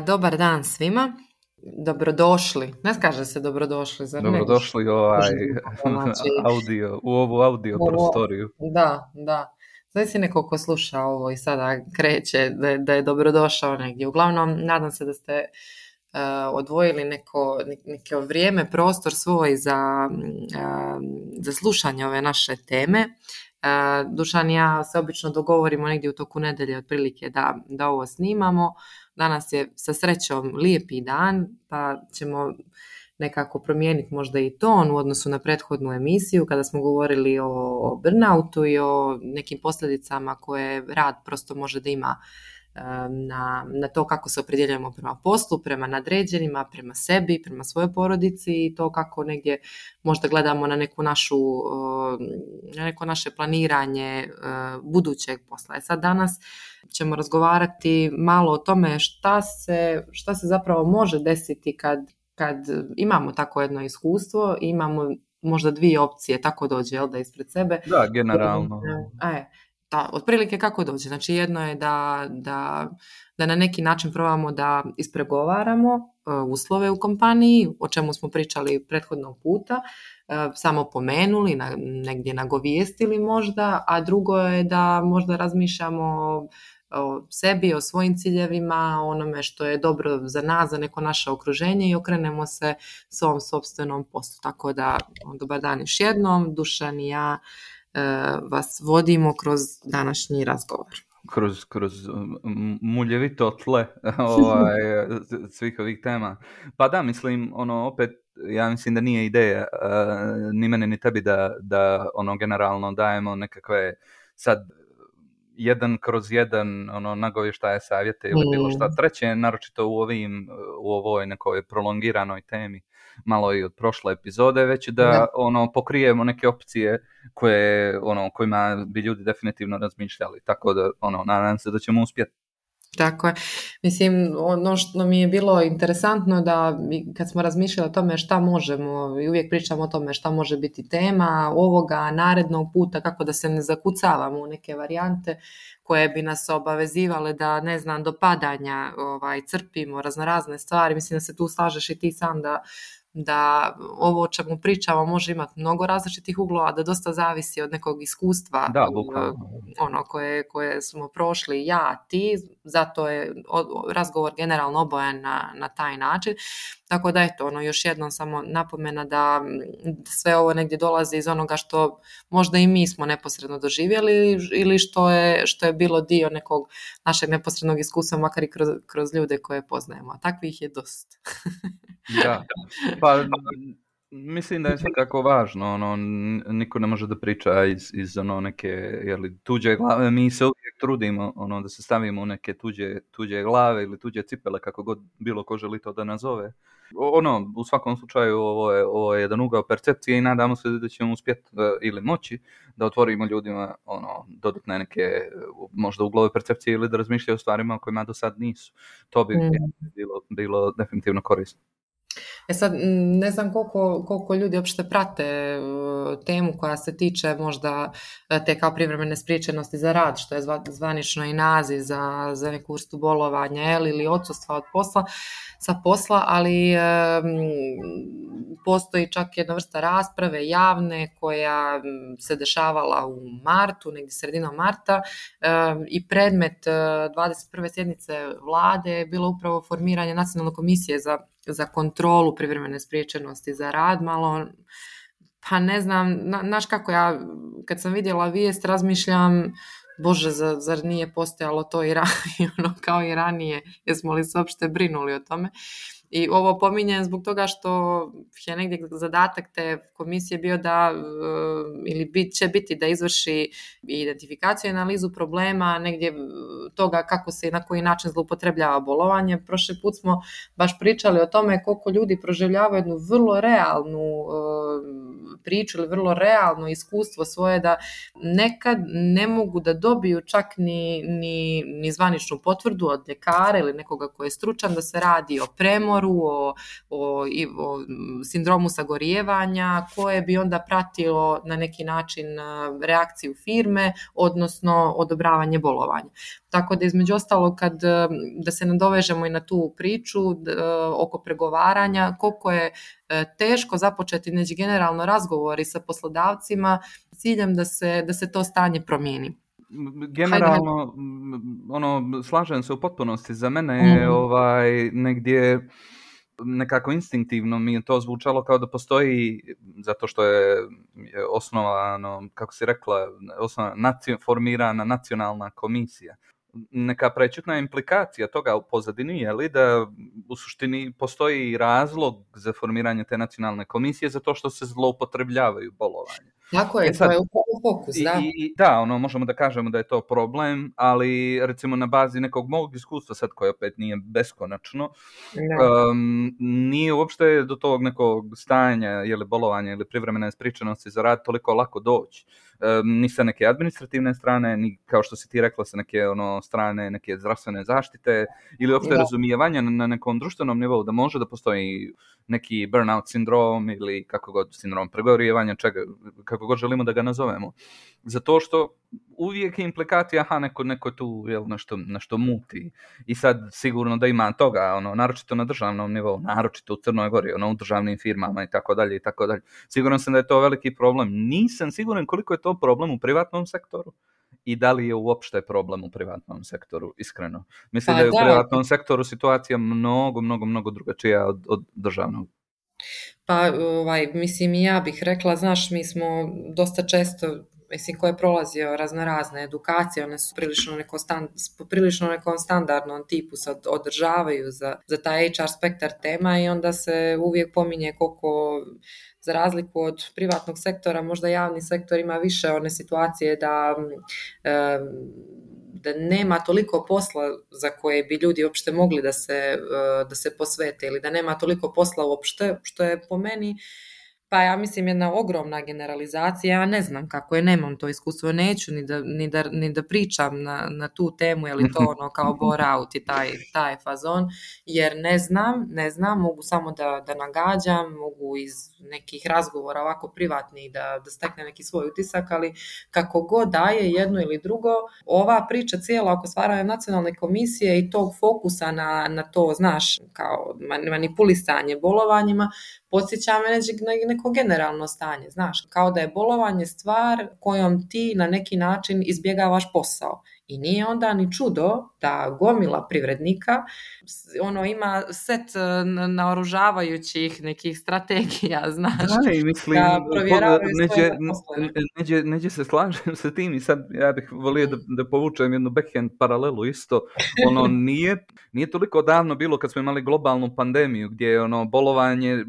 Dobar dan svima. Dobrodošli. Ne kaže se dobrodošli, zar ne? Dobrodošli u ovu audio prostoriju. Da. Znači si neko ko sluša ovo i sada kreće da je dobrodošao negdje. Uglavnom, nadam se da ste odvojili neko vrijeme, prostor svoj za slušanje ove naše teme. Dušan i ja se obično dogovorimo negdje u toku nedelje otprilike da ovo snimamo. Danas je sa srećom lijepi dan, pa ćemo nekako promijeniti možda i ton u odnosu na prethodnu emisiju kada smo govorili o burnoutu i o nekim posljedicama koje rad prosto može da ima na to kako se opredjeljujemo prema poslu, prema nadređenima, prema sebi, prema svojoj porodici i to kako negdje možda gledamo na neko naše planiranje budućeg posla. Sad danas ćemo razgovarati malo o tome šta se zapravo može desiti kad imamo tako jedno iskustvo i imamo možda dvije opcije, tako dođe, jel da, ispred sebe. Da, generalno. Otprilike kako dođe. Znači jedno je da na neki način probamo da ispregovaramo uslove u kompaniji, o čemu smo pričali prethodnog puta, samo pomenuli, negdje nagovijestili možda, a drugo je da možda razmišljamo o sebi, o svojim ciljevima, o onome što je dobro za nas, za neko naše okruženje i okrenemo se svom sopstvenom poslu. Tako da, dobar dan još jednom, Dušan i ja vas vodimo kroz današnji razgovor. Kroz muljevito tle svih ovih tema. Pa da, mislim, opet, ja mislim da nije ideja ni mene ni tebi da generalno dajemo nekakve sad jedan kroz jedan nagovještaje, savjete ili bilo šta treće, naročito u ovoj nekoj prolongiranoj temi, malo i od prošle epizode, već da pokrijemo neke opcije kojima bi ljudi definitivno razmišljali, tako da nadam se da ćemo uspjeti. Tako je. Mislim, ono što mi je bilo interesantno da kad smo razmišljali o tome šta možemo i uvijek pričamo o tome šta može biti tema ovoga narednog puta, kako da se ne zakucavamo u neke varijante koje bi nas obavezivale da, ne znam, do padanja crpimo raznorazne stvari. Mislim da se tu slažeš i ti sam da ovo o čemu pričamo može imati mnogo različitih uglova, da dosta zavisi od nekog iskustva koje smo prošli ja, ti, zato je razgovor generalno obojen na taj način. Tako da eto, još jednom samo napomena da sve ovo negdje dolazi iz onoga što možda i mi smo neposredno doživjeli ili što je bilo dio nekog našeg neposrednog iskustva, makar i kroz ljude koje poznajemo. A takvih je dosta. Da, pa mislim da je svakako važno, niko ne može da priča iz neke tuđe glave, mi se uvijek trudimo da se stavimo u neke tuđe glave ili tuđe cipele, kako god bilo ko želi to da nazove. U svakom slučaju ovo je jedan ugao percepcije i nadamo se da ćemo uspjeti ili moći da otvorimo ljudima dodatne neke možda uglove percepcije ili da razmišljaju o stvarima o kojima do sad nisu. To bi bilo definitivno korisno. Sad, ne znam koliko ljudi uopšte prate temu koja se tiče možda te kao privremene spriječenosti za rad, što je zvanično i naziv za neku vrstu bolovanja ili odsustva od posla, ali postoji čak jedna vrsta rasprave javne koja se dešavala u martu, negdje sredinom marta, i predmet 21. sjednice vlade je bilo upravo formiranje Nacionalne komisije za kontrolu privremene spriječenosti za rad. Malo, pa ne znam, znaš kako ja kad sam vidjela vijest razmišljam, Bože, zar nije postojalo to i kao i ranije, jesmo li se uopšte brinuli o tome? I ovo pominjem zbog toga što je negdje zadatak te komisije bio ili će biti da izvrši identifikaciju i analizu problema, negdje toga kako se i na koji način zloupotrebljava bolovanje. Prošli put smo baš pričali o tome koliko ljudi proživljavaju jednu vrlo realnu priču ili vrlo realno iskustvo svoje da nekad ne mogu da dobiju čak ni zvaničnu potvrdu od ljekara ili nekoga ko je stručan da se radi o premoru, o sindromu sagorijevanja koje bi onda pratilo na neki način reakciju firme, odnosno odobravanje bolovanja. Tako da između ostalog da se nadovežemo i na tu priču oko pregovaranja, koliko je teško započeti generalno razgovori sa poslodavcima s ciljem da se to stanje promijeni. Generalno, slažem se u potpunosti. Za mene je negdje nekako instinktivno mi je to zvučalo kao da postoji, zato što je osnovano, kako si rekla, formirana nacionalna komisija. Neka prečutna implikacija toga u pozadini je li da u suštini postoji razlog za formiranje te nacionalne komisije zato što se zloupotrebljavaju bolovanje. Tako je, to je upravo fokus, da. Da, možemo da kažemo da je to problem, ali recimo na bazi nekog mog iskustva, sad koje opet nije beskonačno, nije uopšte do tog nekog stanja ili bolovanja ili privremene ispričanosti za rad toliko lako doći. Ni sa neke administrativne strane, ni kao što si ti rekla sa neke strane neke zdravstvene zaštite ili uopšte razumijevanja na nekom društvenom nivou da može da postoji neki burnout sindrom ili kako god sindrom pregorijevanja, kako god želimo da ga nazovemo. Zato što uvijek je implikacija, neko tu nešto muti. I sad sigurno da ima toga, naročito na državnom nivou, naročito u Crnoj Gori, u državnim firmama i tako dalje i tako dalje. Siguran sam da je to veliki problem. Nisam siguran koliko je to problem u privatnom sektoru i da li je uopšte problem u privatnom sektoru, iskreno. Mislim da je u privatnom sektoru situacija mnogo drugačija od državnog. Pa, mislim, ja bih rekla, znaš, mi smo dosta često, mislim, ko je prolazio razne edukacije, one su prilično nekom standardnom tipu se održavaju za taj HR spektar tema i onda se uvijek pominje koliko, za razliku od privatnog sektora, možda javni sektor ima više one situacije da nema toliko posla za koje bi ljudi uopšte mogli da se posvete ili da nema toliko posla uopšte, što je po meni, pa ja mislim jedna ogromna generalizacija. Ja ne znam kako je, nemam to iskustvo, neću ni da pričam na tu temu, je li to kao bore out i taj fazon, jer ne znam, mogu samo da nagađam, mogu iz nekih razgovora ovako privatnih da stekne neki svoj utisak, ali kako god daje jedno ili drugo, ova priča cijela oko stvaranja nacionalne komisije i tog fokusa na to, znaš, kao manipulisanje bolovanjima, podsjeća me neko generalno stanje, znaš, kao da je bolovanje stvar kojom ti na neki način izbjegavaš posao. I nije onda ni čudo da gomila privrednika ima set naoružavajućih nekih strategija, znaš, mislim, da provjeravaju svoje zaposlene. Neđe se slažem sa tim i sad ja bih volio da povučem jednu backhand paralelu isto. Nije toliko davno bilo kad smo imali globalnu pandemiju gdje je bolovanje,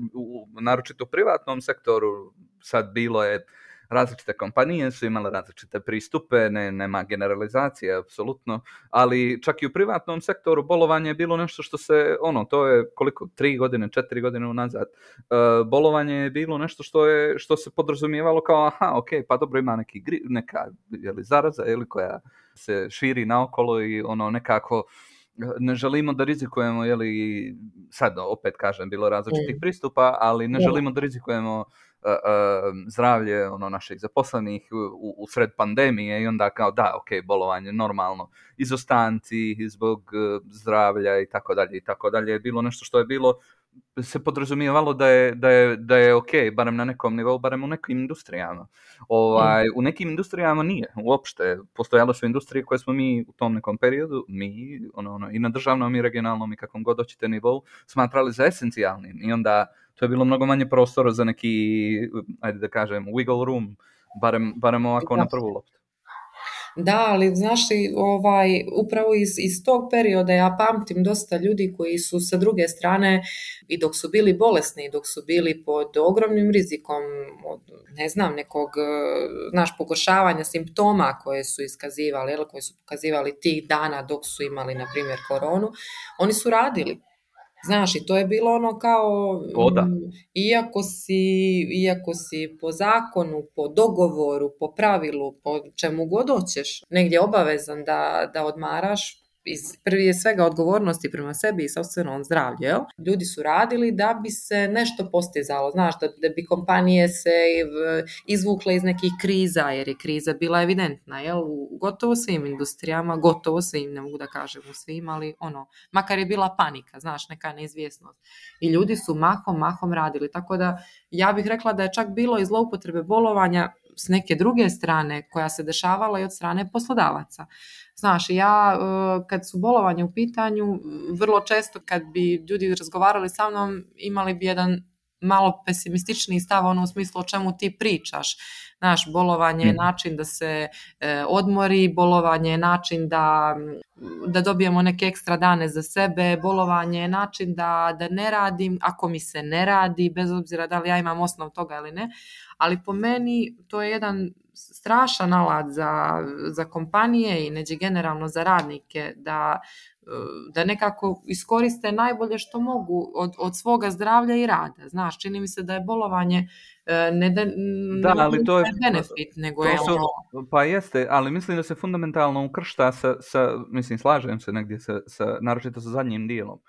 naročito u privatnom sektoru, sad bilo je različite kompanije su imale različite pristupe, nema generalizacije, apsolutno, ali čak i u privatnom sektoru bolovanje je bilo nešto što se, to je koliko, 3 godine, 4 godine unazad, bolovanje je bilo nešto što se podrazumijevalo kao, pa dobro, ima neka zaraza koja se širi naokolo i nekako ne želimo da rizikujemo, sad opet kažem, bilo različitih pristupa, ali ne želimo da rizikujemo zdravlje naših zaposlenih u sred pandemije i onda kao bolovanje normalno, izostanci zbog zdravlja i tako dalje je bilo nešto što je bilo, se podrazumijevalo da je ok, barem na nekom nivou, barem u nekim industrijama. U nekim industrijama nije uopšte. Postojale su industrije koje smo mi u tom nekom periodu, i na državnom i regionalnom i kakvom god hoćete nivou, smatrali za esencijalnim i onda to je bilo mnogo manje prostora za neki, ajde da kažem, wiggle room, barem ovako na prvu loptu. Da, ali znaš li, upravo iz tog perioda ja pamtim dosta ljudi koji su sa druge strane i dok su bili bolesni i dok su bili pod ogromnim rizikom od, ne znam, nekog, pogoršavanja simptoma koje su iskazivali, koje su pokazivali tih dana dok su imali, na primjer, koronu, oni su radili. Znaš, i to je bilo ono kao, O da. iako si po zakonu, po dogovoru, po pravilu, po čemu god hoćeš, negdje obavezan da odmaraš, prvi je svega odgovornosti prema sebi i sopstvenom zdravlju, jel? Ljudi su radili da bi se nešto postizalo, znaš, da bi kompanije se izvukle iz nekih kriza, jer je kriza bila evidentna, jel? U gotovo svim industrijama, gotovo svim, ne mogu da kažem u svim, ali ono, makar je bila panika, znaš, neka neizvjesnost. I ljudi su mahom radili, tako da ja bih rekla da je čak bilo i zloupotrebe bolovanja s neke druge strane koja se dešavala i od strane poslodavaca. Znaš, ja kad su bolovanje u pitanju, vrlo često kad bi ljudi razgovarali sa mnom, imali bi jedan malo pesimističniji stav, ono u smislu o čemu ti pričaš. Znaš, bolovanje je način da se odmori, bolovanje je način da dobijemo neke ekstra dane za sebe, bolovanje je način da ne radim, ako mi se ne radi, bez obzira da li ja imam osnov toga ili ne, ali po meni to je jedan strašan alat za kompanije i neđe generalno za radnike da nekako iskoriste najbolje što mogu od svoga zdravlja i rada. Znaš, čini mi se da je bolovanje ne ali to je benefit, nego je ono... Pa jeste, ali mislim da se fundamentalno ukršta mislim, slažem se negdje naročito sa zadnjim dijelom,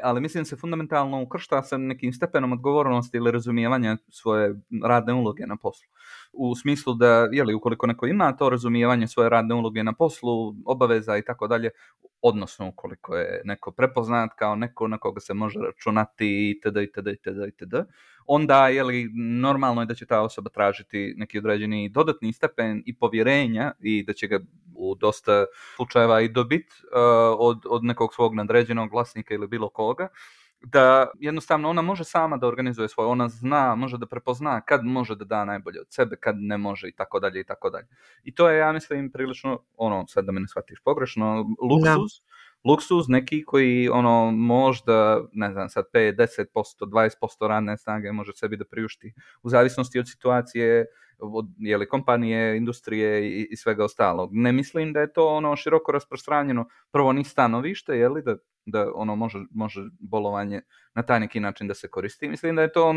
ali mislim da se fundamentalno ukršta sa nekim stepenom odgovornosti ili razumijevanja svoje radne uloge na poslu. U smislu da, ukoliko neko ima to razumijevanje svoje radne uloge na poslu, obaveza i tako dalje, odnosno ukoliko je neko prepoznat kao neko na koga se može računati itd., onda normalno je da će ta osoba tražiti neki određeni dodatni stepen i povjerenja i da će ga u dosta slučajeva i dobiti od nekog svog nadređenog vlasnika ili bilo koga, da jednostavno ona može sama da organizuje svoje, ona zna, može da prepozna kad može da da najbolje od sebe, kad ne može i tako dalje. I to je, ja mislim, prilično, sad da me ne shvatiš pogrešno, luksuz neki koji možda, ne znam, sad 5, 10%, 20% radne snage može sebi da priušti u zavisnosti od situacije, od kompanije, industrije i svega ostalog. Ne mislim da je to široko rasprostranjeno, prvo ni stanovište, da može bolovanje na taj neki način da se koristi. Mislim da je to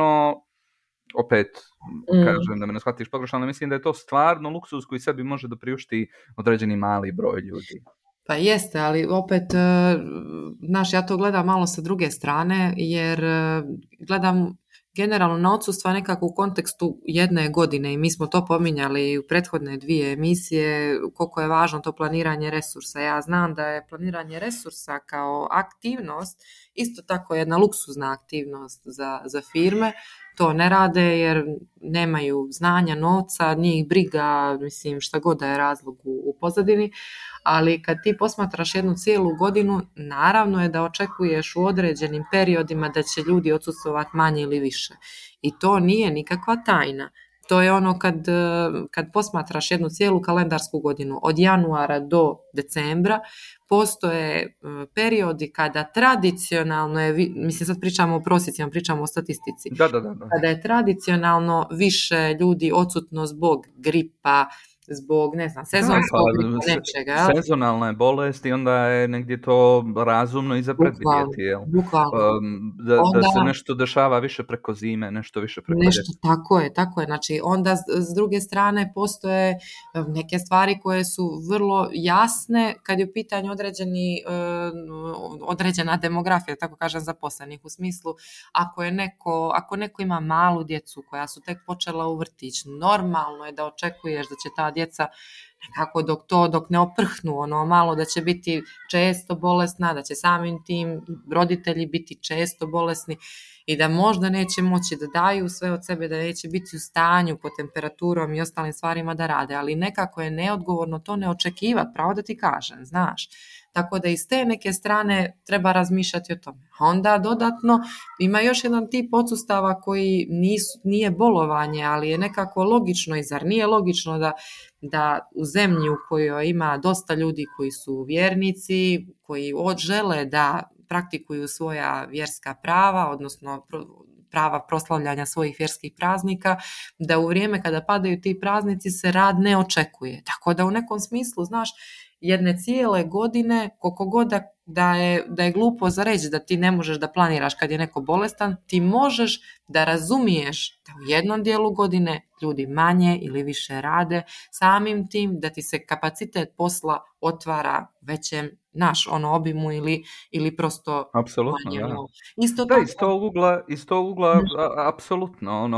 opet, kažem da me ne shvatiš pogrešno, ali mislim da je to stvarno luksuz koji sebi može da priušti određeni mali broj ljudi. Pa jeste, ali opet, znaš, ja to gledam malo sa druge strane, jer gledam generalno na odsustva nekako u kontekstu jedne godine i mi smo to pominjali u prethodne 2 emisije, koliko je važno to planiranje resursa. Ja znam da je planiranje resursa kao aktivnost isto tako jedna luksuzna aktivnost za firme. To ne rade jer nemaju znanja, novca, njih briga, mislim, šta god da je razlog u pozadini, ali kad ti posmatraš jednu cijelu godinu, naravno je da očekuješ u određenim periodima da će ljudi odsustvovati manje ili više. I to nije nikakva tajna. To je ono kad posmatraš jednu cijelu kalendarsku godinu, od januara do decembra, postoje periodi kada tradicionalno je, mislim sad pričamo o prosjecima, pričamo o statistici, da. Kada je tradicionalno više ljudi odsutno zbog gripa, zbog, ne znam, sezonskog nečega. Sezonalna je bolest i onda je negdje to razumno i za predvidjeti. Bukvalno. Da se nešto dešava više preko zime, nešto više preko ljeta. Tako je. Znači, onda s druge strane postoje neke stvari koje su vrlo jasne kad je u pitanju određena demografija, tako kažem, zaposlenih. U smislu, ako neko ima malu djecu koja su tek počela u vrtić, normalno je da očekuješ da će ta djeca nekako dok ne oprhnu malo, da će biti često bolesna, da će samim tim roditelji biti često bolesni i da možda neće moći da daju sve od sebe, da neće biti u stanju po temperaturom i ostalim stvarima da rade, ali nekako je neodgovorno to ne očekivati, pravo da ti kažem, znaš. Tako da iz te neke strane treba razmišljati o tome. A onda dodatno ima još jedan tip odsustava koji nije bolovanje, ali je nekako logično i zar nije logično da u zemlji u kojoj ima dosta ljudi koji su vjernici, koji žele da praktikuju svoja vjerska prava, odnosno prava proslavljanja svojih vjerskih praznika, da u vrijeme kada padaju ti praznici se rad ne očekuje. Tako da u nekom smislu, znaš, jedne cijele godine, koliko god da je glupo za reći da ti ne možeš da planiraš kad je neko bolestan, ti možeš da razumiješ da u jednom dijelu godine ljudi manje ili više rade, samim tim da ti se kapacitet posla otvara većem obimu ili prosto Apsolutno, manje. da. Isto Da, tako. iz tog ugla, apsolutno,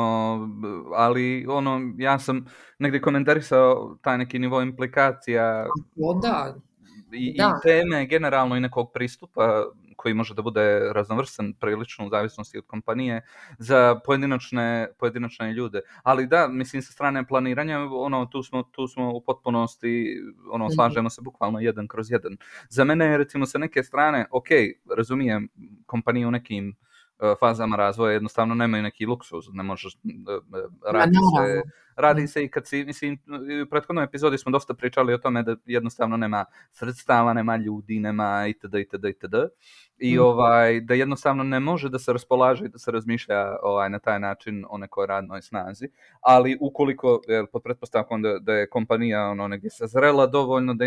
ali ja sam negdje komentarisao taj neki nivo implikacija Da. i teme generalno i nekog pristupa koji može da bude raznovrstan prilično u zavisnosti od kompanije za pojedinačne ljude. Ali da, mislim, sa strane planiranja, tu smo u potpunosti, slažemo se bukvalno 1/1. Za mene je, recimo, sa neke strane, ok, razumijem, kompanije u nekim fazama razvoja jednostavno nemaju neki luksuz, ne možeš, radi se i kad si, mislim, u prethodnoj epizodi smo dosta pričali o tome da jednostavno nema sredstava, nema ljudi, nema itd. I da jednostavno ne može da se raspolaže i da se razmišlja na taj način o nekoj radnoj snazi, ali ukoliko, pod pretpostavkom da je kompanija negdje sazrela dovoljno, da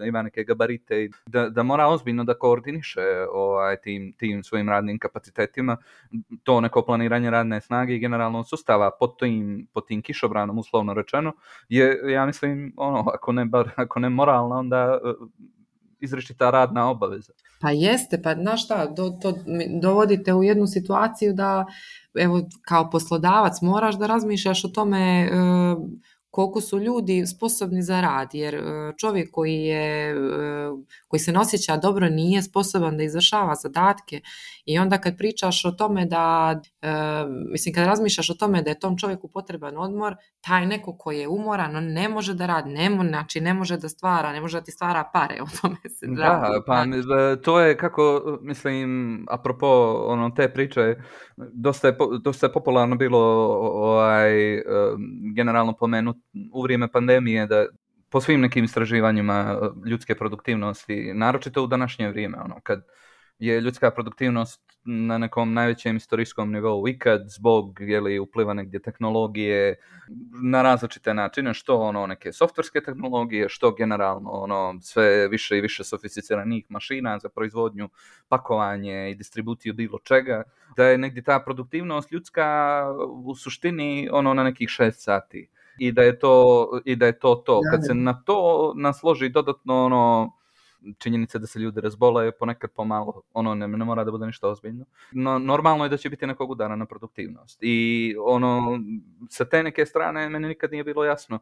ima neke gabarite i da mora ozbiljno da koordiniše tim svojim radnim kapacitetima, to neko planiranje radne snage i generalno sustava pod tim kišobranom, uslovno rečeno, je, ja mislim, ako ne moralna, onda izričita radna obaveza. Pa jeste, pa znaš šta, to dovodite u jednu situaciju da, evo, kao poslodavac moraš da razmišljaš o tome koliko su ljudi sposobni za rad, jer čovjek koji se ne osjeća dobro nije sposoban da izvršava zadatke. I onda kad pričaš o tome kad razmišljaš o tome da je tom čovjeku potreban odmor, taj neko koji je umoran, on ne može da radi, ne može da stvara, ne može da ti stvara pare, o tome se radi. Da, pa to je kako, mislim, apropo te priče, dosta je popularno bilo generalno pomenuti u vrijeme pandemije da po svim nekim istraživanjima ljudske produktivnosti, naročito u današnje vrijeme, kad je ljudska produktivnost na nekom najvećem istorijskom nivou ikad zbog upliva negdje tehnologije na različite načine, što neke softverske tehnologije, što generalno sve više i više sofisticiranih mašina za proizvodnju, pakovanje i distribuciju bilo čega, da je negdje ta produktivnost ljudska u suštini na nekih 6 sati. I da je to. Kad se na to nasloži dodatno činjenica da se ljudi razbole ponekad pomalo, ne mora da bude ništa ozbiljno. No, normalno je da će biti nekog udara na produktivnost. I sa te neke strane meni nikad nije bilo jasno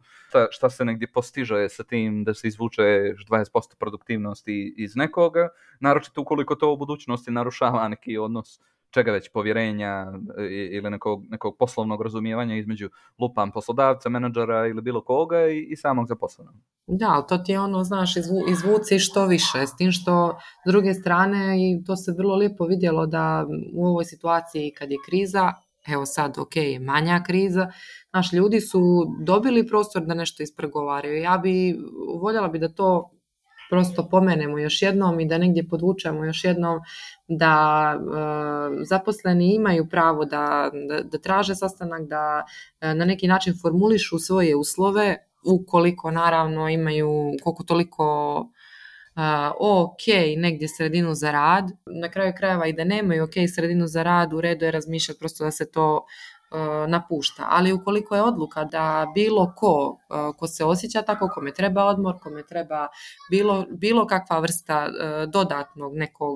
šta se negdje postiže sa tim da se izvuče 20% produktivnosti iz nekoga, naročito ukoliko to u budućnosti narušava neki odnos čega već, povjerenja ili nekog poslovnog razumijevanja između poslodavca, menadžera ili bilo koga i samog zaposlenog. Da, ali to ti je znaš, izvuci što više, s tim što s druge strane, i to se vrlo lijepo vidjelo da u ovoj situaciji kad je kriza, evo sad, ok, manja kriza, naš ljudi su dobili prostor da nešto ispregovaraju. Voljela bi da to prosto pomenemo još jednom i da negdje podvučemo još jednom da zaposleni imaju pravo da traže sastanak, da na neki način formulišu svoje uslove, ukoliko naravno imaju koliko toliko ok negdje sredinu za rad. Na kraju krajeva i da nemaju ok sredinu za rad, u redu je razmišljati prosto da se to napušta. Ali ukoliko je odluka da bilo ko se osjeća tako, kome treba odmor, kome treba bilo kakva vrsta dodatnog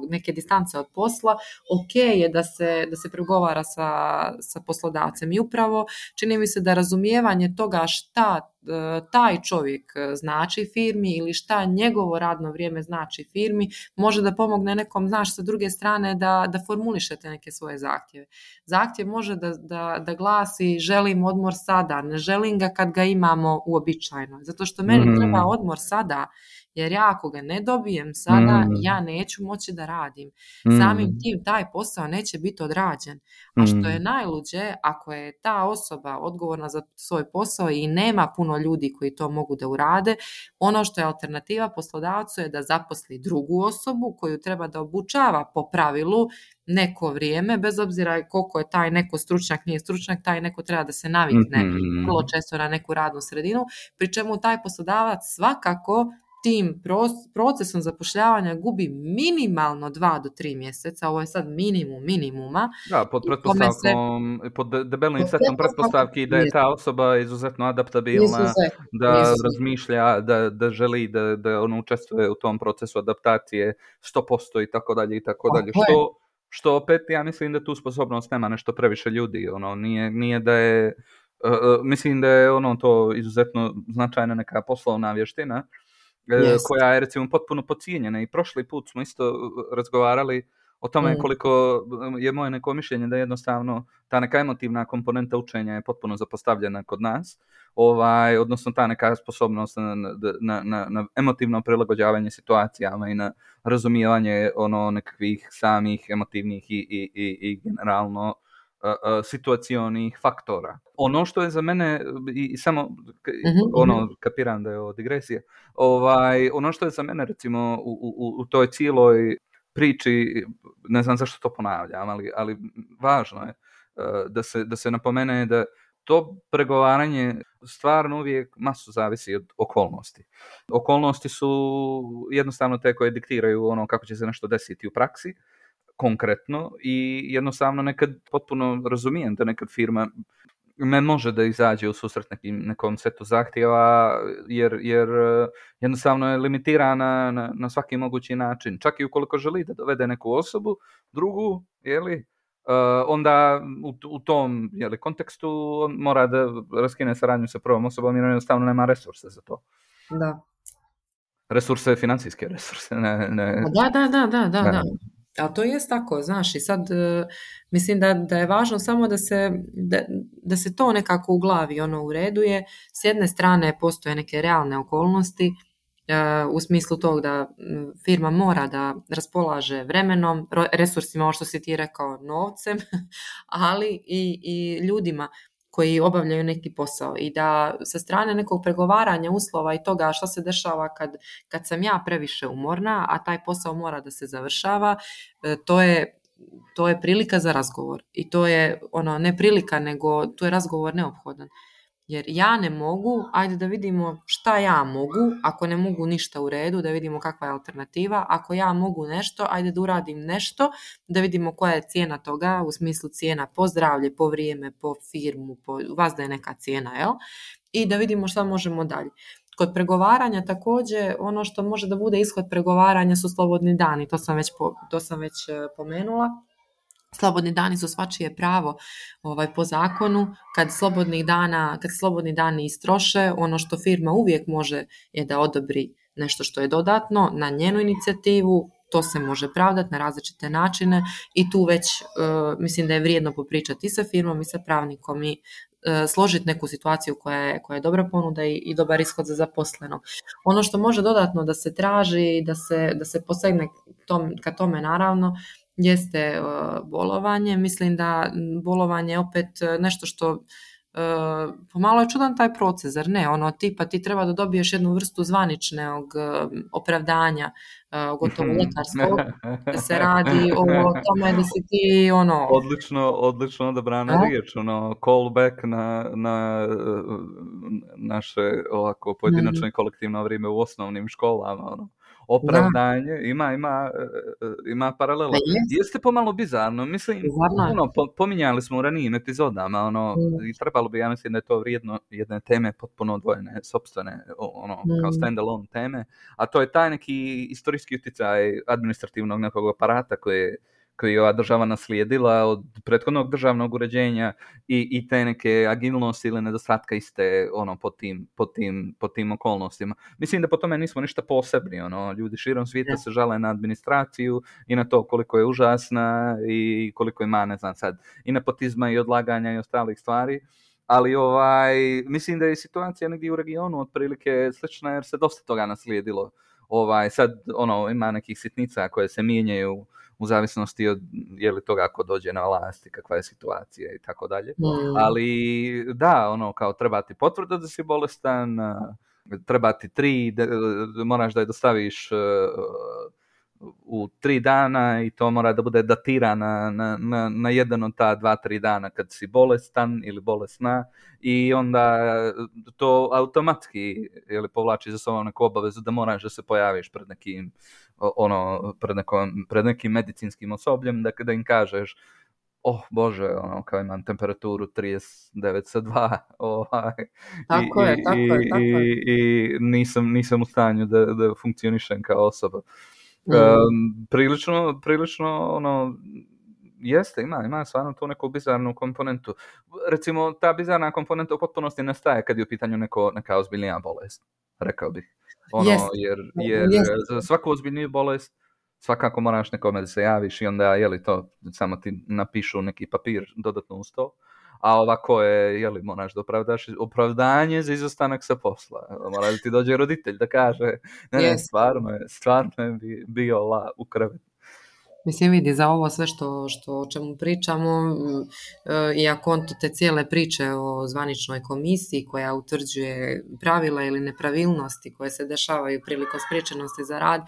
neke distance od posla, ok je da se pregovara sa poslodavcem. I upravo čini mi se da razumijevanje toga šta taj čovjek znači firmi ili šta njegovo radno vrijeme znači firmi može da pomogne nekom, znaš, sa druge strane da formulišete neke svoje zahtjeve. Zahtjev može da glasi želim odmor sada, ne želim ga kad ga imamo uobičajeno. Zato što meni treba odmor sada, jer ja ako ga ne dobijem sada, ja Mm, neću moći da radim. Samim mm, tim taj posao neće biti odrađen. A što je mm, najluđe, ako je ta osoba odgovorna za svoj posao i nema puno ljudi koji to mogu da urade, ono što je alternativa poslodavcu je da zaposli drugu osobu koju treba da obučava po pravilu neko vrijeme, bez obzira koliko je taj neko stručnjak, nije stručnjak, taj neko treba da se navikne vrlo često na neku radnu sredinu, pri čemu taj poslodavac svakako tim procesom zapošljavanja gubi minimalno 2 do 3 mjeseca, ovo je sad minimum minimuma. Da, pod Kome se pretpostavkom, pod debelim pod setom pretpostavki da je ta osoba izuzetno adaptabilna, da razmišlja, da želi da ono učestvuje u tom procesu adaptacije 100% i tako dalje i tako dalje. Što opet ja mislim da tu sposobnost nema nešto previše ljudi. Ono, nije da je, mislim da je ono to izuzetno značajna neka poslovna vještina koja je recimo potpuno podcijenjena. I prošli put smo isto razgovarali o tome koliko je moje neko mišljenje da jednostavno ta neka emotivna komponenta učenja je potpuno zapostavljena kod nas, odnosno ta neka sposobnost na emotivno prilagođavanje situacijama i na razumijevanje nekakvih samih emotivnih i generalno situacionih faktora. Ono što je za mene, i samo kapiram da je ovo digresija, ono što je za mene recimo u toj cijeloj priči, ne znam zašto to ponavljam, ali važno je da se napomene da to pregovaranje stvarno uvijek masu zavisi od okolnosti. Okolnosti su jednostavno te koje diktiraju ono kako će se nešto desiti u praksi, konkretno, i jednostavno nekad potpuno razumijem da nekad firma ne može da izađe u susret nekom setu zahtjeva jer jednostavno je limitirana na svaki mogući način. Čak i ukoliko želi da dovede neku osobu, drugu, onda u tom kontekstu on mora da raskine saradnju sa prvom osobom jer jednostavno nema resurse za to. Da. Resurse, financijske resurse. Da. Ali to jest tako, znaš, i sad mislim da je važno samo da se to nekako u glavi u redu je. S jedne strane postoje neke realne okolnosti u smislu tog da firma mora da raspolaže vremenom, resursima, ovo što si ti rekao, novcem, ali i ljudima koji obavljaju neki posao i da sa strane nekog pregovaranja uslova i toga što se dešava kad sam ja previše umorna, a taj posao mora da se završava, to je prilika za razgovor i to je ne prilika, nego tu je razgovor neophodan. Jer ja ne mogu, ajde da vidimo šta ja mogu, ako ne mogu ništa u redu, da vidimo kakva je alternativa, ako ja mogu nešto, ajde da uradim nešto, da vidimo koja je cijena toga, u smislu cijena po zdravlje, po vrijeme, po firmu, vas da je neka cijena, jel? I da vidimo šta možemo dalje. Kod pregovaranja također, ono što može da bude ishod pregovaranja su slobodni dani, to sam već pomenula. Slobodni dani su svačije pravo po zakonu. Kad slobodni dani istroše, ono što firma uvijek može je da odobri nešto što je dodatno na njenu inicijativu. To se može pravdati na različite načine i tu već mislim da je vrijedno popričati i sa firmom i sa pravnikom i složiti neku situaciju koja je dobra ponuda i dobar ishod za zaposlenog. Ono što može dodatno da se traži, da se posegne ka tome naravno, jeste bolovanje. Mislim da bolovanje je opet nešto što pomalo je čudan taj proces, zar ne? Ti treba da dobiješ jednu vrstu zvaničnog opravdanja, gotovo lekarskog, da se radi o tome da si ti Odlično odabrana riječ, callback na naše ovako pojedinačno i kolektivno vrijeme u osnovnim školama, opravdanje, ima paralela. Jeste pomalo bizarno, mislim, pominjali smo u ranijim epizodama, i trebalo bi, ja mislim da je to vrijedno jedne teme potpuno odvojene, sopstvene, kao stand-alone teme, a to je taj neki istorijski utjecaj administrativnog nekog aparata koji je ova država naslijedila od prethodnog državnog uređenja i te neke agilnosti ili nedostatka iste pod tim okolnostima. Mislim da po tome nismo ništa posebni. Ljudi širom svijeta se žale na administraciju i na to koliko je užasna i koliko ima, ne znam sad, i nepotizma i odlaganja i ostalih stvari. Ali mislim da je situacija negdje u regionu otprilike slična jer se dosta toga naslijedilo Sad ima nekih sitnica koje se mijenjaju u zavisnosti od je li toga ko dođe na vlast i kakva je situacija i tako dalje. Ali da, kao treba ti potvrda da si bolestan, treba ti 3, moraš da je dostaviš u 3 dana i to mora da bude datirana na jedan od ta 2-3 dana kad si bolestan ili bolesna i onda to automatski povlači za sobom neku obavezu da moraš da se pojaviš pred nekim pred nekim medicinskim osobljem da im kažeš Bože, kao imam temperaturu 39,2 Tako je. i nisam u stanju da funkcionišem kao osoba. Prilično jeste, ima stvarno tu neku bizarnu komponentu. Recimo, ta bizarna komponenta u potpunosti nestaje kad je u pitanju neka ozbiljnija bolest, rekao bih. Jer za svaku ozbiljniju bolest svakako moraš nekome da se javiš i onda to samo ti napišu neki papir dodatno uz to. A ovako je, moraš da opravdaš opravdanje za izostanak sa posla. Mora da ti dođe roditelj da kaže ne, stvarno je bio u krevetu. Mislim, vidi, za ovo sve o čemu pričamo, iako on te cijele priče o zvaničnoj komisiji koja utvrđuje pravila ili nepravilnosti koje se dešavaju prilikom spriječenosti za rad,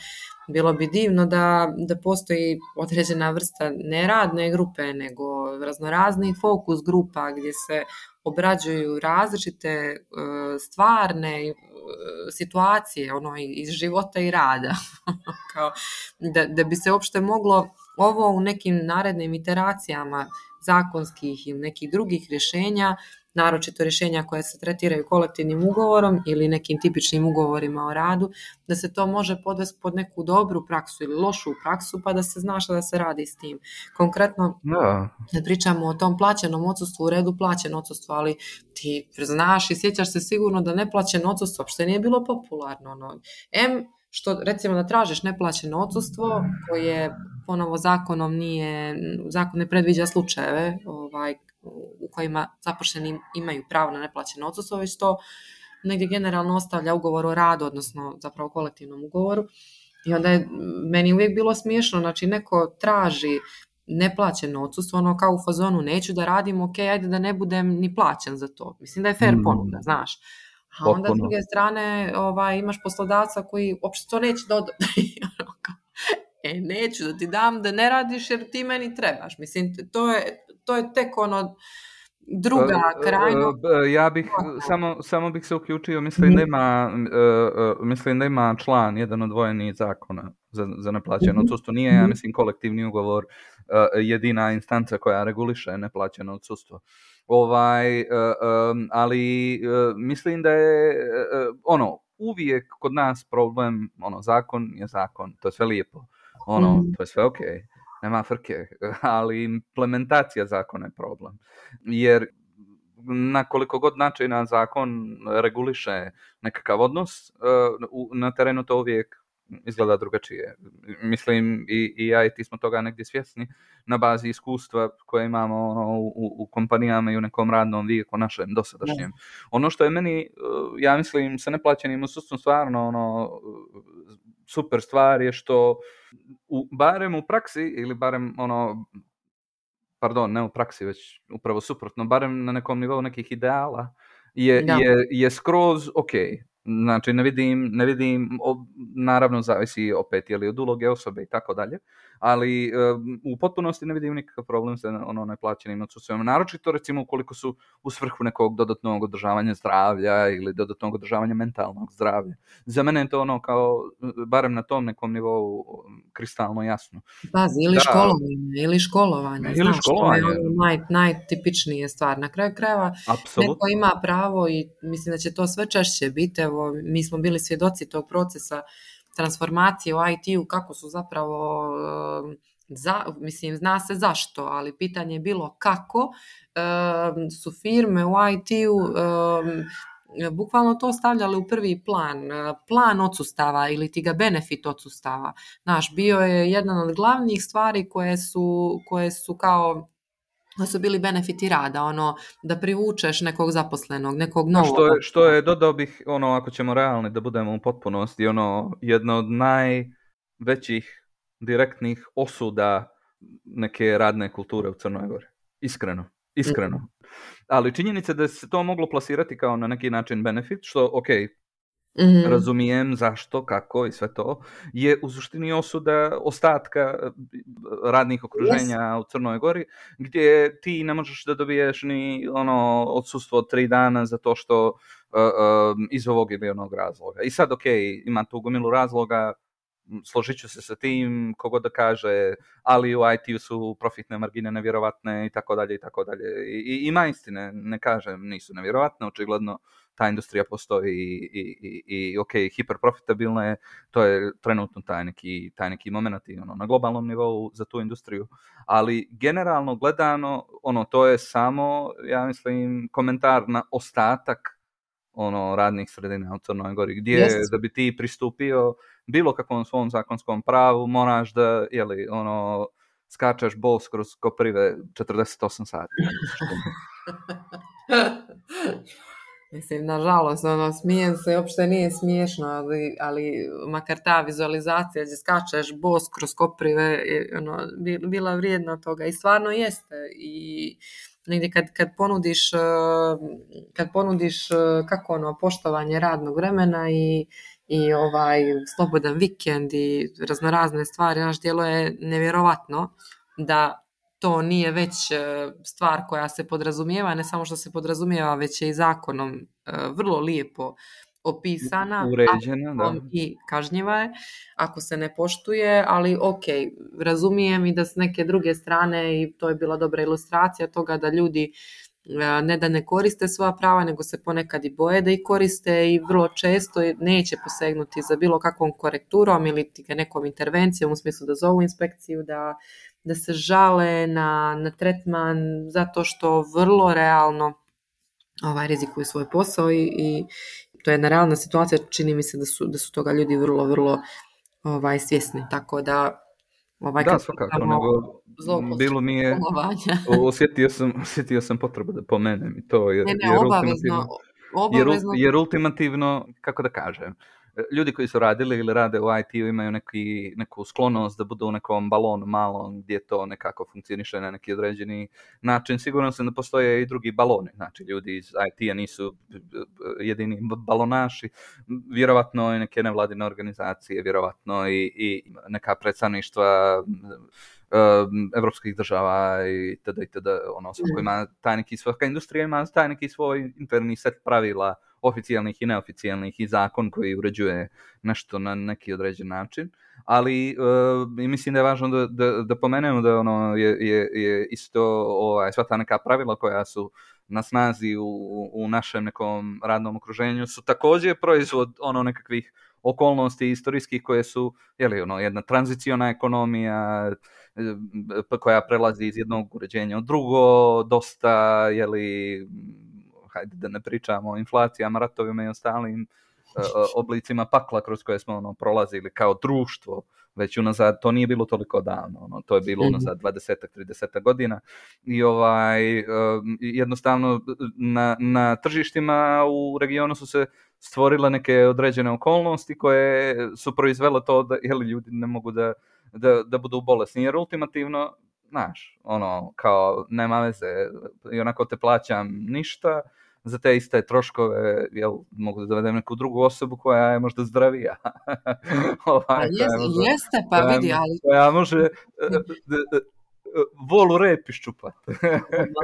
bilo bi divno da postoji određena vrsta ne radne grupe, nego raznoraznih fokus grupa gdje se obrađuju različite stvarne situacije iz života i rada. Kao, da bi se uopšte moglo ovo u nekim narednim iteracijama zakonskih ili nekih drugih rješenja, naročito rješenja koja se tretiraju kolektivnim ugovorom ili nekim tipičnim ugovorima o radu, da se to može podvesti pod neku dobru praksu ili lošu praksu, pa da se zna šta da se radi s tim. Konkretno, ne pričamo o tom plaćenom odsustvu, u redu plaćeno odsustvo, ali ti znaš i sjećaš se sigurno da neplaćeno odsustvo uopšte nije bilo popularno. Što recimo da tražiš neplaćeno odsustvo koje ponovo zakon ne predviđa slučajeve u kojima zaposleni imaju pravo na neplaćeno odsustvo, već to negdje generalno ostavlja ugovor o radu, odnosno zapravo kolektivnom ugovoru. I onda je meni uvijek bilo smiješno, znači neko traži neplaćeno odsustvo, kao u fazonu neću da radim, ok, ajde da ne budem ni plaćen za to. Mislim da je fair ponuda, znaš. A onda s druge strane imaš poslodavca koji uopšte to neće dodati. Neću da ti dam da ne radiš jer ti meni trebaš. Mislim, to je tek druga krajno. Ja bih samo bih se uključio, mislim da ima član jedan odvojeni zakona za neplaćeno odsustvo. Nije, ja mislim, kolektivni ugovor jedina instanca koja reguliše neplaćeno odsustvo. Ali mislim da je uvijek kod nas problem, zakon je zakon, to je sve lijepo, to je sve ok, nema frke, ali implementacija zakona je problem, jer na koliko god načina zakon reguliše nekakav odnos, na terenu to uvijek izgleda drugačije. Mislim, i ja i ti smo toga negdje svjesni na bazi iskustva koje imamo u kompanijama i u nekom radnom vijeku našem dosadašnjem. Ono što je meni, ja mislim, sa neplaćenim odsustvom stvarno super stvar je što barem u praksi ili barem ne u praksi, već upravo suprotno, barem na nekom nivou nekih ideala je skroz ok. Znači, ne vidim, naravno zavisi opet je li od uloge osobe i tako dalje, ali u potpunosti ne vidim nikakav problem sa neplaćenim odsustvom. Naročito, recimo, ukoliko su u svrhu nekog dodatnog održavanja zdravlja ili dodatnog održavanja mentalnog zdravlja. Za mene je to kao, barem na tom nekom nivou, kristalno jasno. Pazi, ili školovanje. Ili školovanje. To je najtipičnije stvar. Na kraju krajeva neko ima pravo i mislim da će to sve češće biti. Evo, mi smo bili svjedoci tog procesa transformacije u IT-u, kako su zapravo, mislim, zna se zašto, ali pitanje je bilo kako su firme u IT-u bukvalno to stavljale u prvi plan odsustava ili ti ga benefit odsustava. Znaš, bio je jedan od glavnih stvari koje su kao To su bili benefiti rada, ono, da privučeš nekog zaposlenog, nekog Da, novog. što je, dodao bih, ono, ako ćemo realni da budemo u potpunosti, ono, jedno od najvećih direktnih osuda neke radne kulture u Crnoj Gori. Iskreno. Ali činjenica da se to moglo plasirati kao na neki način benefit, što, ok, razumijem zašto, kako i sve to, je u suštini osuda ostatka radnih okruženja u Crnoj Gori, gdje ti ne možeš da dobiješ ni ono odsustvo od 3 dana zato što iz ovog ili onog razloga. I sad, ok, ima tu gomilu razloga, složit ću se sa tim, kogod da kaže, ali u IT-u su profitne margine nevjerovatne i tako dalje i tako dalje. I ima istine, ne kažem, nisu nevjerovatne, očigledno ta industrija postoji i ok, hiperprofitabilna je, to je trenutno taj neki moment ono, na globalnom nivou za tu industriju, ali generalno gledano, ono, to je samo, ja mislim, komentar na ostatak ono, radnih sredina u Crnoj Gori, gdje da bi ti pristupio bilo kakvom svom zakonskom pravu, moraš da, jeli, ono, skačeš bos kroz Koprive 48 sati. Mislim, nažalost, ono, smijem se, uopšte nije smiješno, ali makar ta vizualizacija gdje skačeš bos kroz Koprive je ono, bila vrijedna toga i stvarno jeste. I negdje kad ponudiš kako ono, poštovanje radnog vremena i slobodan vikend i raznorazne stvari, naš djelo je nevjerovatno da to nije već stvar koja se podrazumijeva, ne samo što se podrazumijeva, već je i zakonom vrlo lijepo opisana, uređena, da. I kažnjiva je ako se ne poštuje, ali ok, razumijem i da s neke druge strane, i to je bila dobra ilustracija toga da ljudi ne da ne koriste svoja prava, nego se ponekad i boje da ih koriste i vrlo često neće posegnuti za bilo kakvom korekturom ili nekom intervencijom u smislu da zovu inspekciju, da se žale na tretman zato što vrlo realno rizikuju svoj posao i to je jedna realna situacija, čini mi se da su toga ljudi vrlo, vrlo svjesni, tako da da, svakako, nego bilo mi je, osjetio sam potrebu da pomenem i to, jer ultimativno, kako da kažem, ljudi koji su radili ili rade u IT-u imaju neku sklonost da budu u nekom balonu malom gdje to nekako funkcioniše na neki određeni način. Sigurno sam da postoje i drugi baloni, znači ljudi iz IT-a nisu jedini balonaši, vjerovatno i neke nevladine organizacije, vjerovatno i neka predstavništva evropskih država i tada, ono, svako ima svaka industrija ima taj neki svoj interni set pravila, oficijalnih i neoficijalnih, i zakon koji uređuje nešto na neki određen način, ali mislim da je važno da pomenemo da ono je isto sva ta neka pravila koja su na snazi u našem nekom radnom okruženju su također proizvod ono nekakvih okolnosti istorijskih koje su, jedna tranziciona ekonomija koja prelazi iz jednog uređenja u drugo, dosta, hajde da ne pričamo o inflacijama, ratovima i ostalim oblicima pakla kroz koje smo prolazili kao društvo, već unazad, to nije bilo toliko davno, to je bilo unazad 20-30 godina i jednostavno na tržištima u regionu su se stvorile neke određene okolnosti koje su proizvele to da ljudi ne mogu da budu bolesni, jer ultimativno, znaš, kao nema veze, i onako te plaćam ništa, za te iste troškove, mogu da dovedem neku drugu osobu koja je možda zdravija. Jeste, pa vidi, ali... Koja može volu rep iščupat.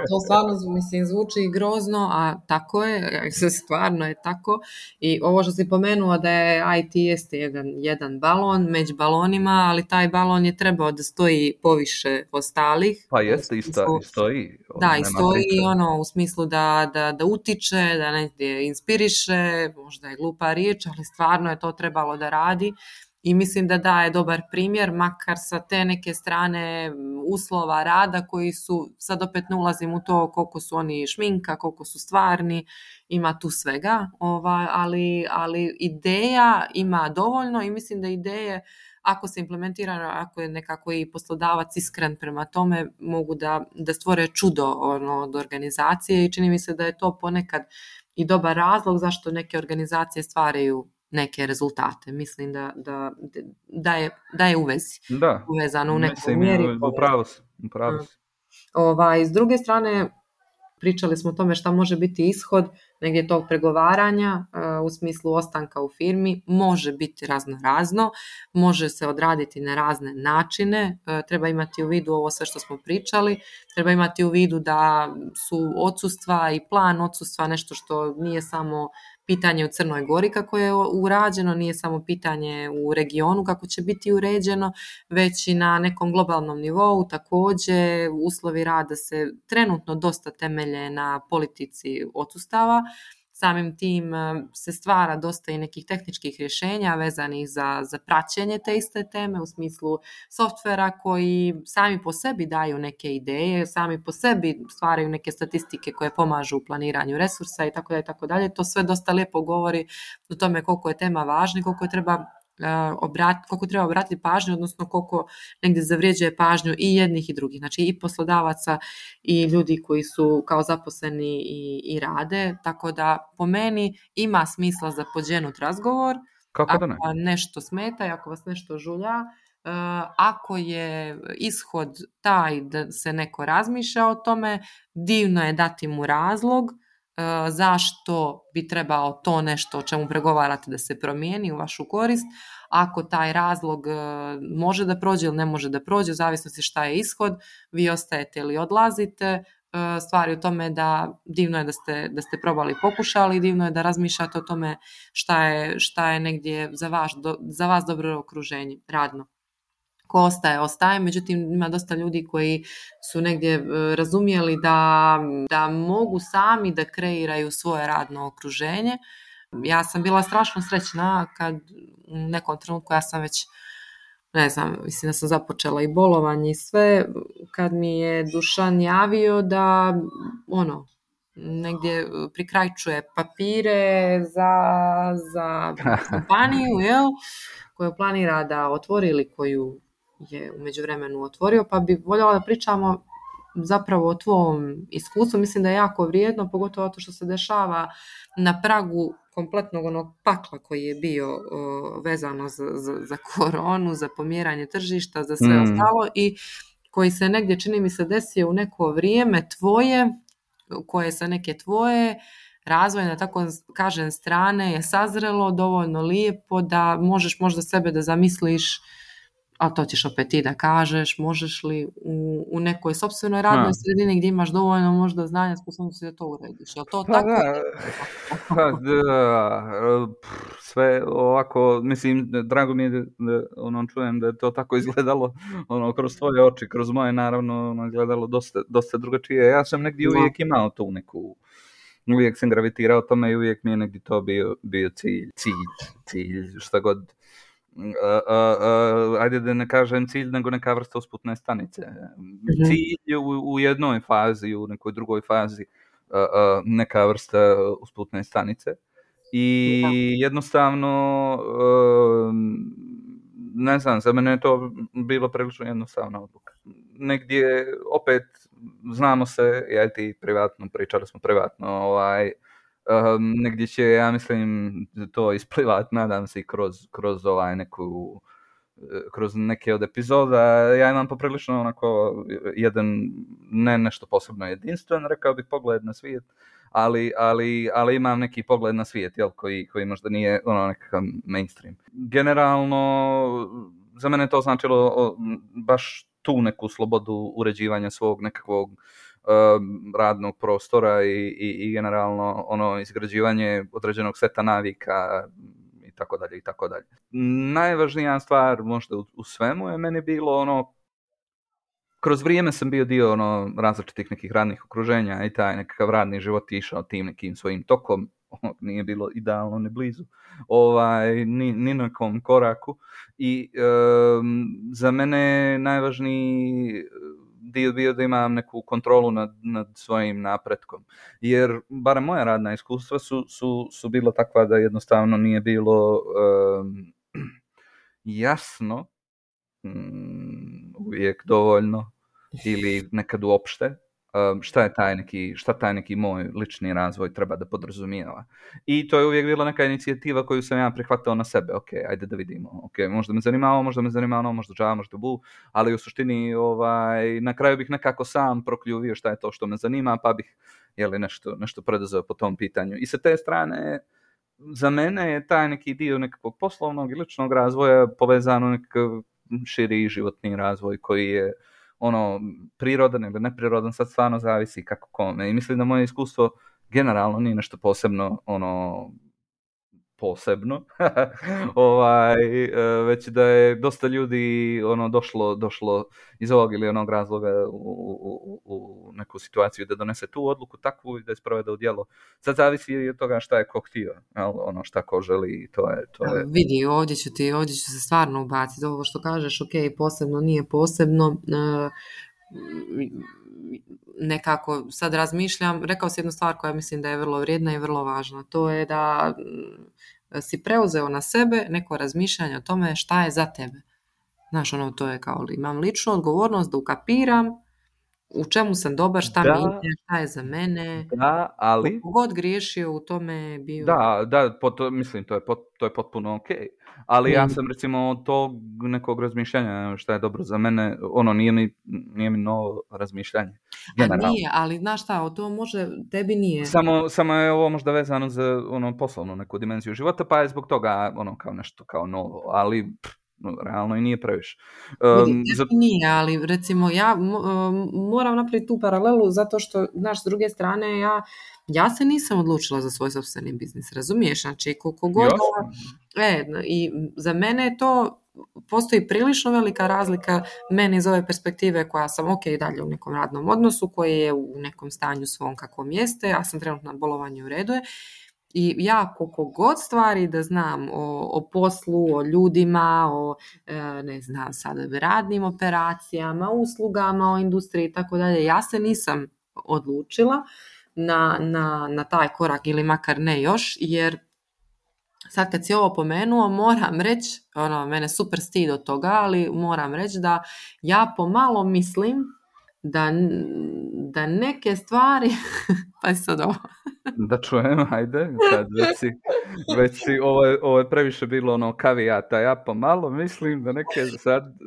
To stvarno, mislim, zvuči grozno, a tako je, stvarno je tako. I ovo što si pomenuo da je IT jeste jedan balon među balonima, ali taj balon je trebao da stoji poviše ostalih. Pa jeste, i stoji. Da, i stoji u smislu da utiče, da negdje inspiriše, možda je glupa riječ, ali stvarno je to trebalo da radi. i mislim da daje dobar primjer, makar sa te neke strane uslova rada koji su, sad opet ne ulazim u to koliko su oni šminka, koliko su stvarni, ima tu svega, ali ideja ima dovoljno i mislim da ideje ako se implementira, ako je nekako i poslodavac iskren prema tome, mogu da stvore čudo od organizacije i čini mi se da je to ponekad i dobar razlog zašto neke organizacije stvaraju neke rezultate. Mislim da je u vezi. Da, Uvezano u nekoj mislim, mjeri. upravo si. S druge strane, pričali smo o tome šta može biti ishod negdje tog pregovaranja u smislu ostanka u firmi, može biti razno, može se odraditi na razne načine, treba imati u vidu ovo sve što smo pričali, treba imati u vidu da su odsustva i plan odsustva nešto što nije samo pitanje u Crnoj Gori kako je urađeno, nije samo pitanje u regionu kako će biti uređeno, već i na nekom globalnom nivou. Također, uslovi rada se trenutno dosta temelje na politici odsustava. Samim tim se stvara dosta i nekih tehničkih rješenja vezanih za praćenje te iste teme u smislu softvera koji sami po sebi daju neke ideje, sami po sebi stvaraju neke statistike koje pomažu u planiranju resursa i tako dalje. To sve dosta lijepo govori o tome koliko je tema važna i koliko treba obratiti pažnju, odnosno koliko negdje zavređuje pažnju i jednih i drugih, znači i poslodavaca i ljudi koji su kao zaposleni i rade, tako da po meni ima smisla za pođenut razgovor. Kako da ne? Ako nešto smeta i ako vas nešto žulja, ako je ishod taj da se neko razmišlja o tome, divno je dati mu razlog zašto bi trebao to nešto o čemu pregovarate da se promijeni u vašu korist. Ako taj razlog može da prođe ili ne može da prođe, u zavisnosti šta je ishod, vi ostajete ili odlazite. Stvari u tome da divno je da ste probali, pokušali, divno je da razmišljate o tome šta je negdje za vas dobro okruženje radno. Ko ostaje, međutim ima dosta ljudi koji su negdje razumjeli da mogu sami da kreiraju svoje radno okruženje. Ja sam bila strašno srećna kad u nekom trenutku, ja sam već, ne znam, mislim da sam započela i bolovanje i sve, kad mi je Dušan javio da negdje prikrajčuje papire za kompaniju, koju planira da otvori ili koju je u međuvremenu otvorio, pa bi voljela da pričamo zapravo o tvom iskustvu. Mislim da je jako vrijedno, pogotovo to što se dešava na pragu kompletnog onog pakla koji je bio vezano za koronu, za pomjeranje tržišta, za sve ostalo i koji se negdje, čini mi se, desio u neko vrijeme tvoje, koje sa neke tvoje razvojne, tako kažem, strane je sazrelo dovoljno lijepo da možeš možda sebe da zamisliš, a to ćeš opet ti da kažeš, možeš li u nekoj sopstvenoj radnoj sredini gdje imaš dovoljno možda znanja, sposobnosti da to urediš. Je to tako? Sve ovako, mislim, drago mi je da čujem da je to tako izgledalo kroz tvoje oči, kroz moje naravno izgledalo dosta drugačije. Ja sam negdje uvijek imao tu neku, uvijek sam gravitirao tome i uvijek mi je negdje to bio cilj, šta god. Ajde da ne kažem cilj, nego neka vrsta usputne stanice. Cilj u jednoj fazi, u nekoj drugoj fazi neka vrsta usputne stanice. I jednostavno, ne znam, za mene je to bilo prilično jednostavna odluka. Negdje, opet, znamo se, ja i ti privatno, pričali smo privatno, negdje će, ja mislim, to isplivat, nadam se, i kroz kroz neke od epizoda. Ja imam poprilično onako jedan, ne nešto posebno jedinstven, rekao bih, pogled na svijet, ali imam neki pogled na svijet, koji možda nije nekakav mainstream. Generalno, za mene to značilo baš tu neku slobodu uređivanja svog nekakvog radnog prostora i generalno izgrađivanje određenog seta navika i tako dalje. Najvažnija stvar možda u svemu je meni bilo kroz vrijeme sam bio dio različitih nekih radnih okruženja i taj nekakav radni život išao tim nekim svojim tokom. nije bilo idealno ni blizu, ni na kom koraku. I za mene je najvažniji dio bio da imam neku kontrolu nad svojim napretkom. Jer, barem moja radna iskustva su bila takva da jednostavno nije bilo jasno uvijek dovoljno ili nekad uopšte šta taj neki moj lični razvoj treba da podrazumijeva. I to je uvijek bila neka inicijativa koju sam ja prihvatao na sebe. Ok, ajde da vidimo. Ok, možda me zanima ono, možda ža, možda bu, ali u suštini na kraju bih nekako sam prokljuvio šta je to što me zanima, pa bih nešto preduzeo po tom pitanju. I sa te strane, za mene je taj neki dio nekakvog poslovnog i ličnog razvoja povezano nekakav širi životni razvoj koji je prirodan ili neprirodan, sad stvarno zavisi kako kome. I mislim da moje iskustvo generalno nije nešto posebno već da je dosta ljudi došlo iz ovog ili onog razloga u neku situaciju da donese tu odluku takvu i da je sprovede u djelo. Sad zavisi od toga šta je ko htio, šta ko želi, to je. Vidi, ovdje ću se stvarno ubaciti ovo što kažeš, ok, posebno, nije posebno, nekako sad razmišljam, rekao si jednu stvar koja mislim da je vrlo vrijedna i vrlo važna, to je da si preuzeo na sebe neko razmišljanje o tome šta je za tebe. Znaš, to je kao imam ličnu odgovornost da ukapiram u čemu sam dobar, šta mi ide, šta je za mene. Da, ali... Kako god griješio u tome bio... Mislim, to je potpuno ok. Ali ja sam recimo od tog nekog razmišljanja šta je dobro za mene, nije mi novo razmišljanje. Generalno. A nije, ali znaš šta, to može, tebi nije. Samo je ovo možda vezano za poslovnu neku dimenziju života, pa je zbog toga kao nešto kao novo, ali... realno i nije previše. Nije, ali recimo ja moram napraviti tu paralelu zato što, znaš, s druge strane ja se nisam odlučila za svoj sopstveni biznis, razumiješ? Znači, koliko god... I za mene to postoji prilično velika razlika meni iz ove perspektive koja sam dalje u nekom radnom odnosu, koji je u nekom stanju svom kakvom jeste, ja sam trenutno na bolovanju, u redu je. I ja koliko god stvari da znam o poslu, o ljudima, o ne znam sada radnim operacijama, uslugama, o industriji i tako dalje, ja se nisam odlučila na taj korak ili makar ne još, jer sad kad si ovo pomenuo, moram reći, mene super stid od toga, ali moram reći da ja pomalo mislim da neke stvari, pa sad ovo. Da čujem, ajde, sad već si ovo je previše bilo kavijata, ja pomalo mislim da neke,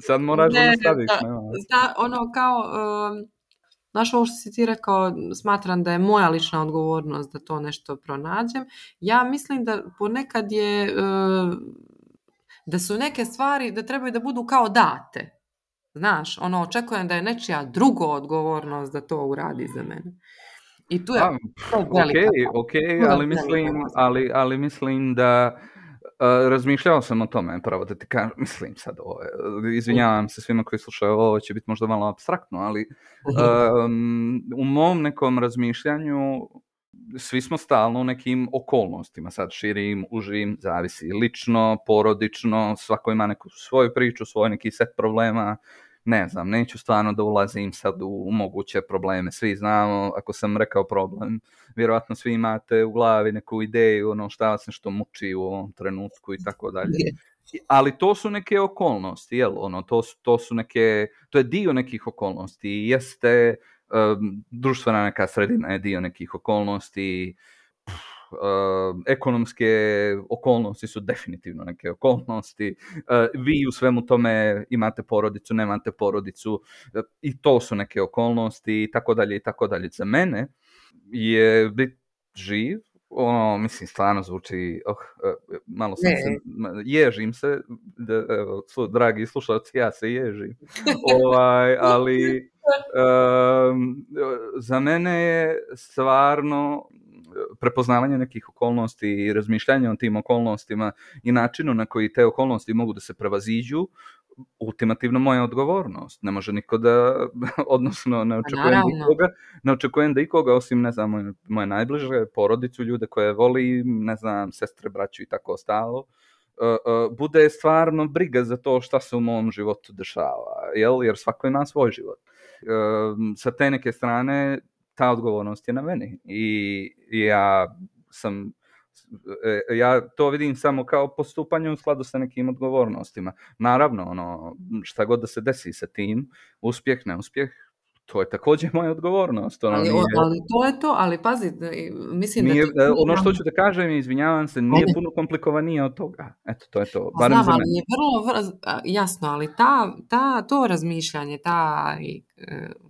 sad moraš da staviš. Znaš, ovo što si ti rekao, smatram da je moja lična odgovornost da to nešto pronađem. Ja mislim da ponekad je, da su neke stvari da trebaju da budu kao date. Znaš, očekujem da je nečija druga odgovornost da to uradi za mene. I tu je ali mislim da razmišljao sam o tome, pravo da ti kažem, mislim sad izvinjavam se svima koji slušaju, ovo će biti možda malo apstraktno, ali u mom nekom razmišljanju svi smo stalno u nekim okolnostima, sad širim, užim, zavisi lično, porodično, svako ima neku svoju priču, svoj neki set problema. Ne znam, neću stvarno da ulazim sad u moguće probleme. Svi znamo, ako sam rekao problem, vjerojatno svi imate u glavi neku ideju, šta vas nešto muči u ovom trenutku i tako dalje. Ali to su neke okolnosti, jel? To je dio nekih okolnosti. Jeste društvena neka sredina je dio nekih okolnosti, ekonomske okolnosti su definitivno neke okolnosti, vi u svemu tome imate porodicu, nemate porodicu, i to su neke okolnosti i tako dalje i tako dalje. Za mene je biti živ, mislim, stvarno zvuči, malo sam ježim se, dragi slušalci, ja se ježim, ali za mene je stvarno prepoznavanje nekih okolnosti i razmišljanje o tim okolnostima i načinu na koji te okolnosti mogu da se prevaziđu ultimativno moja odgovornost. Ne može niko da, odnosno ne očekujem da ikoga osim, ne znam, moje najbliže, porodicu, ljude koje voli, ne znam, sestre, braću i tako ostalo, bude stvarno briga za to šta se u mom životu dešava, jer svako ima svoj život. Sa te neke strane ta odgovornost je na meni i ja to vidim samo kao postupanje u skladu sa nekim odgovornostima. Naravno, šta god da se desi sa tim, uspjeh, neuspjeh, to je također moja odgovornost. Ali to je to, ali pazi, mislim nije, da... Ono što ću da kažem, izvinjavam se, nije puno komplikovanije od toga. Eto, to je to. Barem znam, ali je vrlo jasno, ali to razmišljanje,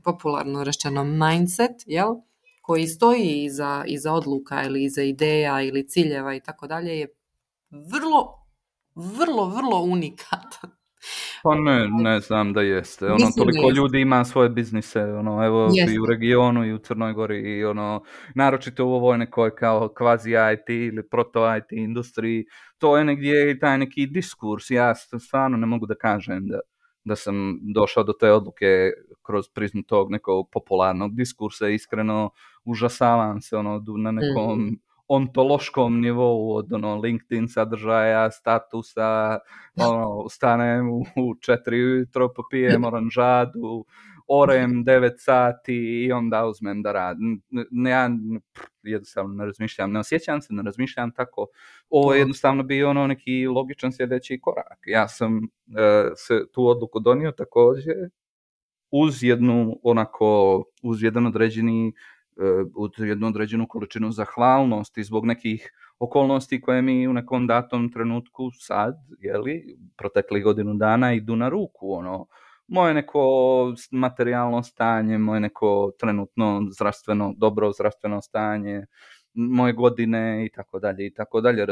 popularno rečeno mindset, jel? Koji stoji iza odluka ili iza ideja ili ciljeva i tako dalje je vrlo, vrlo, vrlo unikatan. Pa ne znam da jeste. Toliko ljudi ima svoje biznise, evo jeste. I u regionu i u Crnoj Gori i naročito u ovoj nekoj kao kvazi IT ili proto IT industriji, to je negdje taj neki diskurs. Ja stvarno ne mogu da kažem da sam došao do te odluke kroz prizmu tog nekog popularnog diskursa. Iskreno užasavam se na nekom ontološkom nivou od LinkedIn sadržaja, statusa, stanem u 4 ujutro, popijem oranžadu, orem 9 sati i onda uzmem da radim. Ja jednostavno ne razmišljam, ne osjećam se, ne razmišljam tako. Ovo je jednostavno bio neki logičan sljedeći korak. Ja sam se tu odluku donio također uz jednu određenu količinu zahvalnosti zbog nekih okolnosti koje mi u nekom datom trenutku sad, protekli godinu dana idu na ruku, moje neko materijalno stanje, moje neko trenutno dobro zdravstveno stanje, moje godine i tako dalje.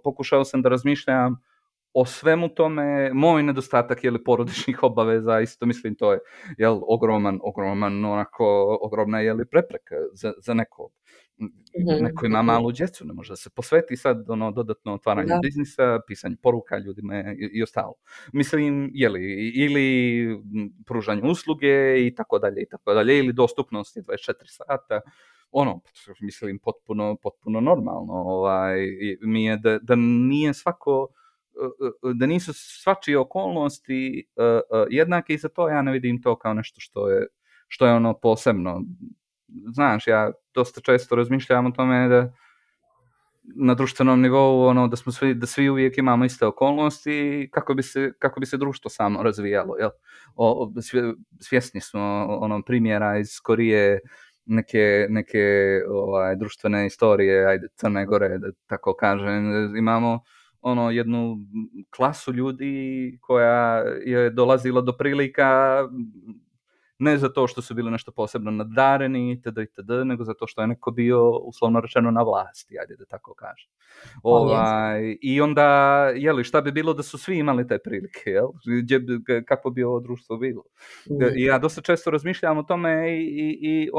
Pokušao sam da razmišljam o svemu tome, moj nedostatak porodičnih obaveza, isto mislim to je ogromna prepreka za nekog. Neko ima malu djecu, ne može da se posveti sad dodatno otvaranju biznisa, pisanju poruka ljudima i ostalo. Mislim, ili pružanju usluge i tako dalje, ili dostupnosti 24 sata, mislim, potpuno normalno. Mi je da nije da nisu svačije okolnosti jednake i za to ja ne vidim to kao nešto što je posebno. Znaš, ja dosta često razmišljam o tome da na društvenom nivou da svi uvijek imamo iste okolnosti kako bi se društvo samo razvijalo. Svjesni smo primjera iz Koreje, neke društvene istorije, Crne Gore, da tako kažem, imamo jednu klasu ljudi koja je dolazila do prilika ne zato što su bili nešto posebno nadareni itd., nego zato što je neko bio uslovno rečeno na vlasti, da tako kažem. I onda, šta bi bilo da su svi imali te prilike, kako bi ovo društvo bilo? Ja dosta često razmišljam o tome i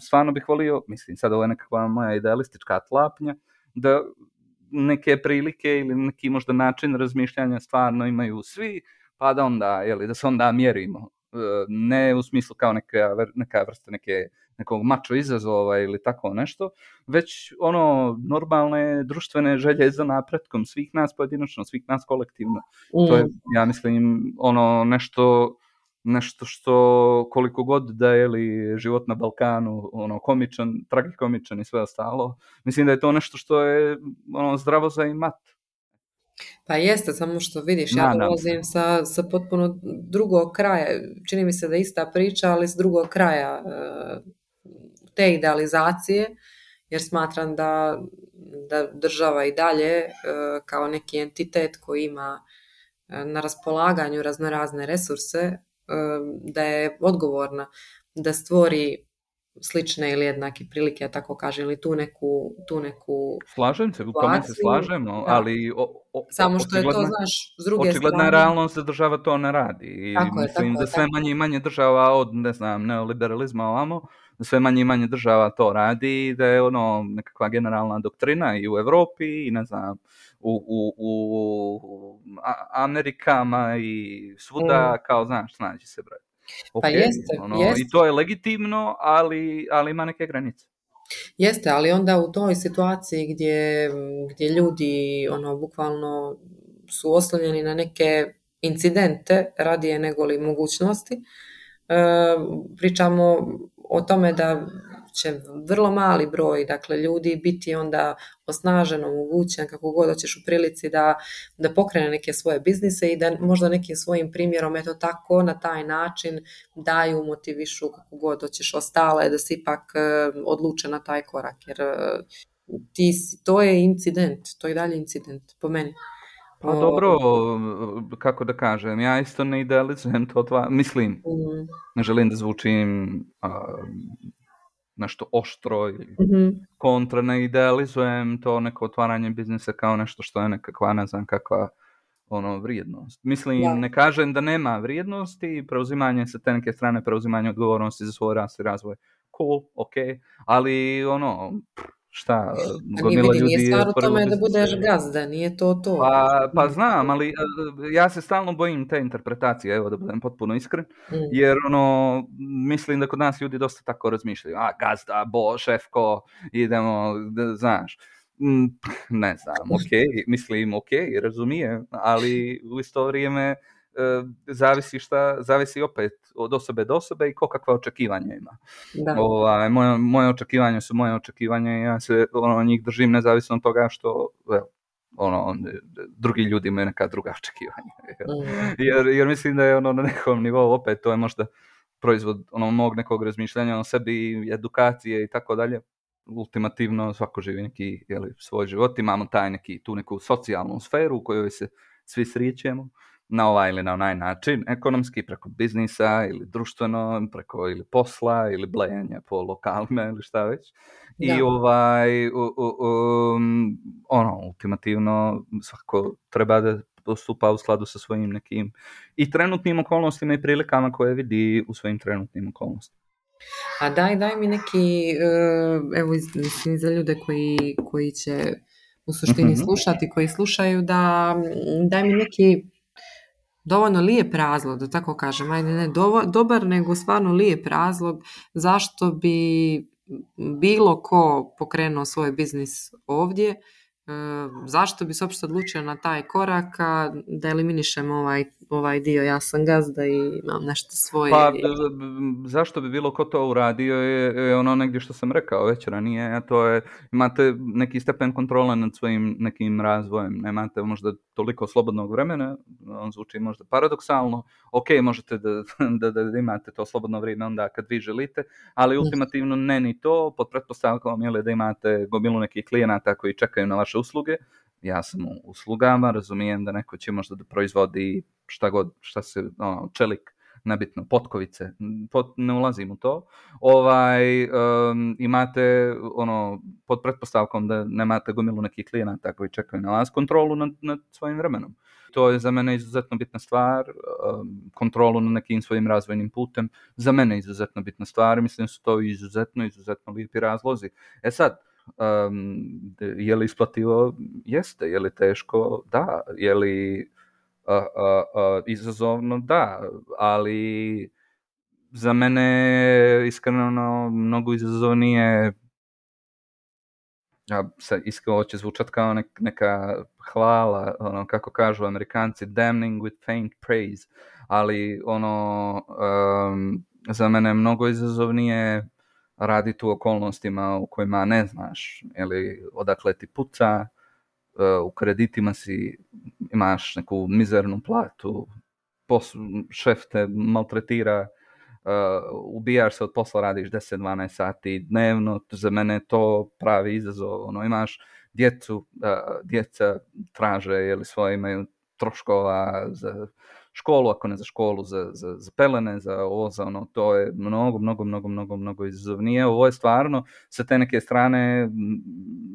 stvarno bih volio, mislim, sad ovo je nekakva moja idealistička tlapnja, da neke prilike ili neki možda način razmišljanja stvarno imaju svi, pa da onda, da se onda mjerimo. Ne u smislu kao neka vrsta nekog mačo izazova ili tako nešto, već normalne društvene želje za napretkom svih nas pojedinačno, svih nas kolektivno. To je, ja mislim, nešto što koliko god da je život na Balkanu komičan, tragikomičan i sve ostalo, mislim da je to nešto što je zdravo za imat. Pa jeste, samo što vidiš, ja dolazim sa potpuno drugog kraja, čini mi se da je ista priča, ali s drugog kraja te idealizacije, jer smatram da država i dalje kao neki entitet koji ima na raspolaganju raznorazne resurse, da je odgovorna da stvori slične ili jednake prilike, ja tako kažem, ili tu neku slažem se, u tome se slažemo, ali samo što je to, znaš, s druge očigledna strane, realnost da država to ne radi. I mislim da sve manje i manje država od, ne znam, neoliberalizma ovamo sve manje i manje država to radi, da je ono nekakva generalna doktrina i u Europi i ne znam, u Amerikama i svuda, kao znaš, snađi se broj. Pa Ok, jeste, ono, i to je legitimno, ali ima neke granice. Jeste, ali onda u toj situaciji gdje ljudi ono bukvalno su oslonjeni na neke incidente radije nego li mogućnosti, pričamo o tome da će vrlo mali broj, dakle, ljudi biti onda osnažen, omogućen, kako god hoćeš u prilici da pokrene neke svoje biznise i da možda nekim svojim primjerom, eto tako, na taj način daju, motivišu, kako god hoćeš ostale, da se ipak odluče na taj korak, jer to je incident, to je dalje incident, po meni. Pa dobro, kako da kažem, ja isto ne idealizujem to, mislim, ne želim da zvučim nešto oštro ili kontra, ne idealizujem to neko otvaranje biznisa kao nešto što je nekakva, ne znam kakva vrijednost. Mislim, ne kažem da nema vrijednosti, preuzimanje sa te neke strane, preuzimanje odgovornosti za svoj rast i razvoj, cool, ok, ali šta, gomila ljudi nije stvar u tome da biznise. budeš gazda, nije to. Pa znam, ali ja se stalno bojim te interpretacije, evo da budem potpuno iskren, jer mislim da kod nas ljudi dosta tako razmišljaju, gazda, šefko, idemo, znaš, ne znam, ok, razumijem, ali u isto vrijeme zavisi opet od osobe do osobe i ko kakva očekivanja ima. Moje očekivanja su moje očekivanja i ja se njih držim nezavisno od toga što drugi ljudi imaju neka druga očekivanja. Jer mislim da je na nekom nivou opet to je možda proizvod mog nekog razmišljanja o sebi, edukacije i tako dalje. Ultimativno svako živi neki svoj život, imamo tu neku socijalnu sferu u kojoj se svi srećemo na ovaj ili na onaj način, ekonomski, preko biznisa ili društveno, preko ili posla ili blejanja po lokalima ili šta već. Da. I ultimativno svako treba da postupa u skladu sa svojim nekim i trenutnim okolnostima i prilikama koje vidi u svojim trenutnim okolnostima. A daj mi neki, evo mislim za ljude koji će u suštini slušati, koji slušaju, daj mi neki dovoljno lijep razlog, da tako kažem, ajde ne dobar, nego stvarno lijep razlog zašto bi bilo ko pokrenuo svoj biznis ovdje, zašto bi se uopšte odlučio na taj korak, da eliminišem ovaj dio, ja sam gazda i imam nešto svoje. Pa zašto bi bilo ko to uradio je ono negdje što sam rekao već ranije, a to je imate neki stepen kontrole nad svojim nekim razvojem, nemate možda toliko slobodnog vremena, on zvuči možda paradoksalno, ok, možete da imate to slobodno vrijeme onda kad vi želite, ali ultimativno ne ni to, pod pretpostavkom da imate gomilu nekih klijenata koji čekaju na vaše usluge. Ja sam u uslugama, razumijem da neko će možda da proizvodi šta se, čelik, nebitno, potkovice, ne ulazim u to. Imate, pod pretpostavkom da nemate gomilu nekih klijenata koji čekaju na vas, kontrolu nad svojim vremenom. To je za mene izuzetno bitna stvar, kontrolu nad nekim svojim razvojnim putem, za mene izuzetno bitna stvar, mislim da su to izuzetno lijepi razlozi. Sad, je li isplativo? Jeste. Je li teško? Da. Je li izazovno? Da. Ali za mene iskreno mnogo izazovnije, ja se iskreno će zvučat kao neka hvala, kako kažu Amerikanci, damning with faint praise, ali za mene je mnogo izazovnije raditi u okolnostima u kojima ne znaš odakle ti puca, u kreditima imaš neku mizernu platu, šef te maltretira, ubijaš se od posla, radiš 10-12 sati dnevno, za mene to pravi izazov, imaš djeca traže svoje, imaju troškova za školu, ako ne za školu, za pelene, za ovo, za ono, to je mnogo izazovnije. Ovo je stvarno sa te neke strane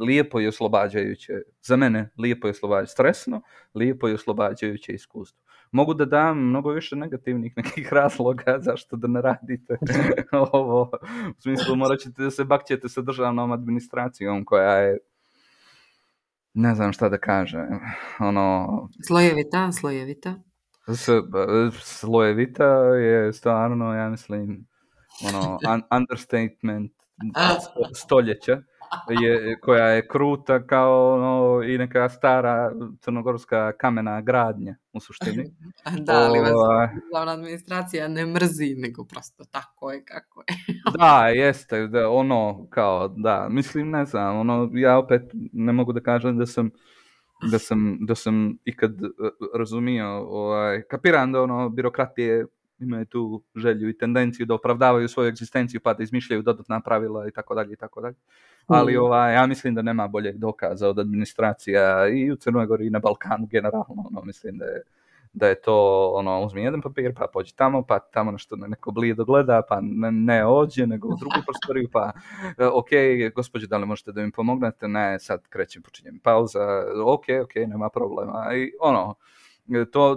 lijepo i oslobađajuće. Za mene lijepo i oslobađajuće. Stresno, lijepo i oslobađajuće iskustvo. Mogu da dam mnogo više negativnih nekih razloga zašto da ne radite ovo. U smislu, morat ćete da se bakćete sa državnom administracijom koja je, ne znam šta da kažem, ono... Slojevita. Slojevita je stvarno, ja mislim, ono, understatement stoljeća, koja je kruta kao ono, i neka stara crnogorska kamena gradnja u suštini. Da, ali vas državna administracija ne mrzi, nego prosto tako je kako je. Da, jeste, da, ono, kao, da, mislim, ne znam, ono, ja opet ne mogu da kažem da sam ikad razumio, kapiram da ono, birokratije imaju tu želju i tendenciju da opravdavaju svoju egzistenciju pa da izmišljaju dodatna pravila i tako dalje. Ali ja mislim da nema boljeg dokaza od administracija i u Crnoj Gori i na Balkanu generalno. Ono, mislim da je to, ono, uzmi jedan papir, pa pođi tamo, pa tamo nešto neko blijedo gleda, pa ne ođe, nego u drugu prostoriju, pa ok, gospođe, da li možete da mi pomognete? Ne, sad počinjem pauza, ok, nema problema. I ono,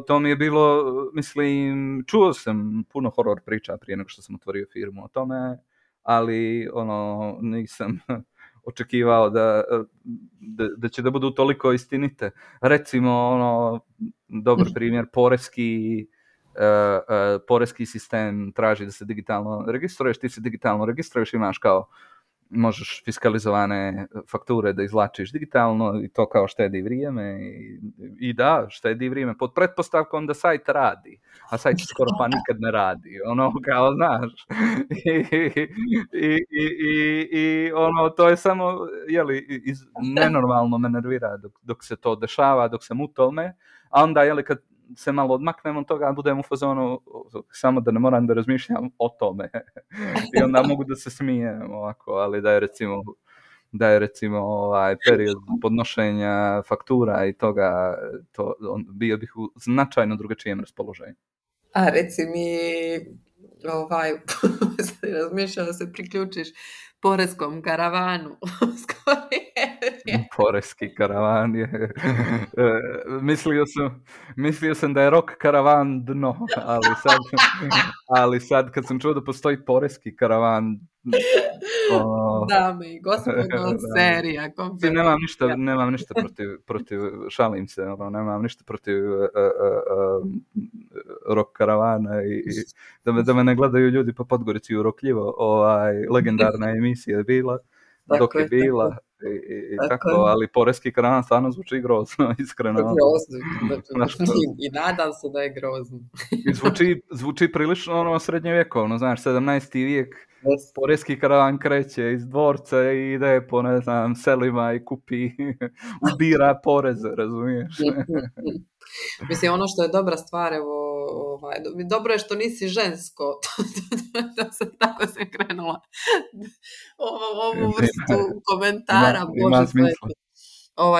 to mi je bilo, mislim, čuo sam puno horor priča prije nego što sam otvorio firmu o tome, ali ono, nisam očekivao da će da budu toliko istinite. Recimo, ono, dobar primjer, poreski sistem traži da se digitalno registruješ, ti se digitalno registruješ, imaš kao, možeš fiskalizovane fakture da izvlačiš digitalno i to kao štedi vrijeme i da, štedi vrijeme pod pretpostavkom da sajt radi, a sajt skoro pa nikad ne radi, ono kao znaš i ono to je samo nenormalno me nervira dok se to dešava, dok sam u tome, a onda kad se malo odmaknem od toga, budem u fazonu samo da ne moram da razmišljam o tome i onda mogu da se smijem ovako, ali da je recimo period podnošenja faktura i toga, bio bih u značajno drugačijem raspoloženju. A reci mi, razmišljam da se priključiš poreskom karavanu. Poreski karavan je... mislio sam da je rock karavan dno, ali sad kad sam čuo da postoji poreski karavan... Dame i gospodo, serija. Nemam ništa protiv, šalim se, nemam ništa protiv rock karavana i da me ne gledaju ljudi po Podgorici u Rokljivo. Legendarna emisija je bila, dok je bila. I tako, ali poreski karavan stvarno zvuči grozno, iskreno. Grozno. I nadam se da je grozno. Zvuči prilično srednjovjekovno, znaš, 17. vijek, poreski karavan kreće iz dvorca i ide po, ne znam, selima i kupi, ubira poreze, razumiješ? Mislim, ono što je dobra stvar, dobro je što nisi žensko, tako sam krenula ovu vrstu komentara. Ima smisla.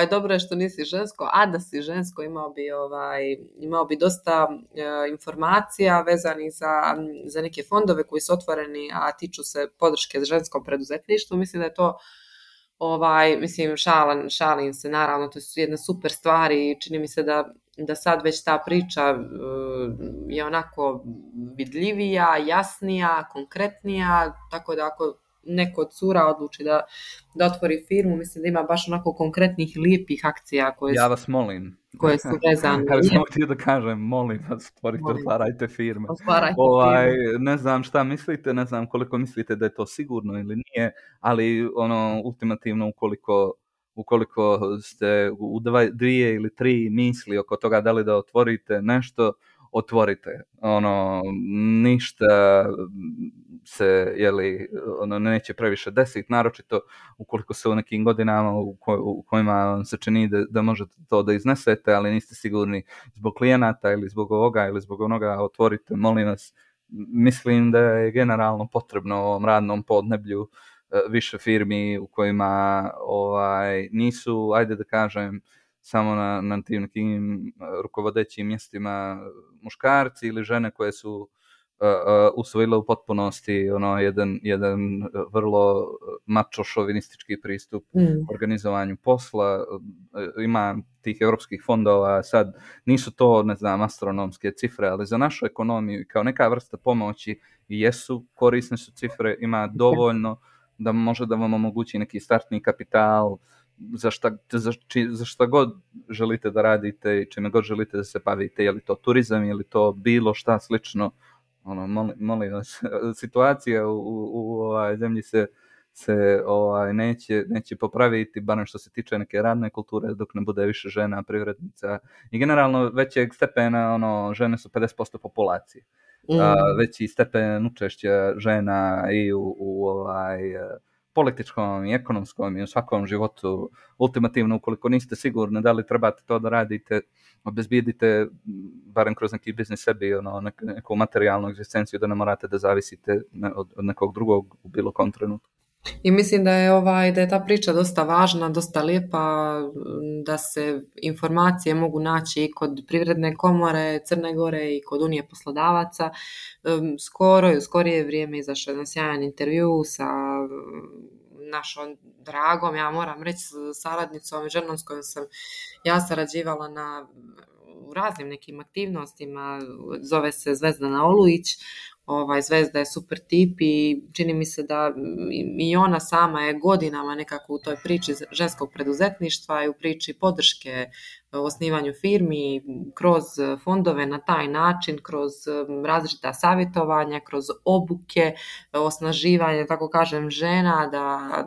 Dobro je što nisi žensko, a da si žensko imao bi dosta informacija vezanih za neke fondove koji su otvoreni, a tiču se podrške ženskom preduzetništvu. Mislim da je to mislim, šalim se, naravno, to su jedna super stvar i čini mi se da sad već ta priča je onako vidljivija, jasnija, konkretnija, tako da ako neko od cura odluči da otvori firmu, mislim da ima baš onako konkretnih lijepih akcija ja vas molim. Koje su vezane. Ja sam htio da kažem, molim vas, otvarajte firme. Ne znam šta mislite, ne znam koliko mislite da je to sigurno ili nije, ali ultimativno ukoliko ste u 2 ili 3 misli oko toga da li da otvorite nešto, otvorite. Ništa se neće previše desiti, naročito ukoliko se u nekim godinama u kojima vam se čini da možete to da iznesete, ali niste sigurni zbog klijenata ili zbog ovoga ili zbog onoga, otvorite, molim vas. Mislim da je generalno potrebno u ovom radnom podneblju više firmi u kojima nisu, ajde da kažem, samo na tim nekim rukovodećim mjestima muškarci ili žene koje su usvojile u potpunosti jedan vrlo mačo šovinistički pristup organizovanju posla. Ima tih europskih fondova, sad nisu to, ne znam, astronomske cifre, ali za našu ekonomiju kao neka vrsta pomoći jesu, korisne su cifre, ima dovoljno da može da vam omogući neki startni kapital za šta god želite da radite i čime god želite da se bavite, je li to turizam, je li to bilo šta slično. Molim vas, situacija u zemlji se neće popraviti, barem što se tiče neke radne kulture, dok ne bude više žena privrednica i generalno većeg stepena, žene su 50% populacije. Veći stepen učešća žena i u političkom i ekonomskom i u svakom životu. Ultimativno, ukoliko niste sigurni da li trebate to da radite, obezbijedite barem kroz neki biznis sebi neku materijalnu egzistenciju, da ne morate da zavisite od nekog drugog u bilo kom trenutku. I mislim da je ta priča dosta važna, dosta lijepa, da se informacije mogu naći i kod Privredne komore Crne Gore i kod Unije poslodavaca. U skorije vrijeme izašao jedan sjajan intervju sa našom dragom, ja moram reći, saradnicom, ženom s kojom sam ja sarađivala u raznim nekim aktivnostima, zove se Zvezdana Olujić. Zvezda je super tip i čini mi se da i ona sama je godinama nekako u toj priči ženskog preduzetništva i u priči podrške osnivanju firmi kroz fondove na taj način, kroz različita savjetovanja, kroz obuke, osnaživanje, tako kažem, žena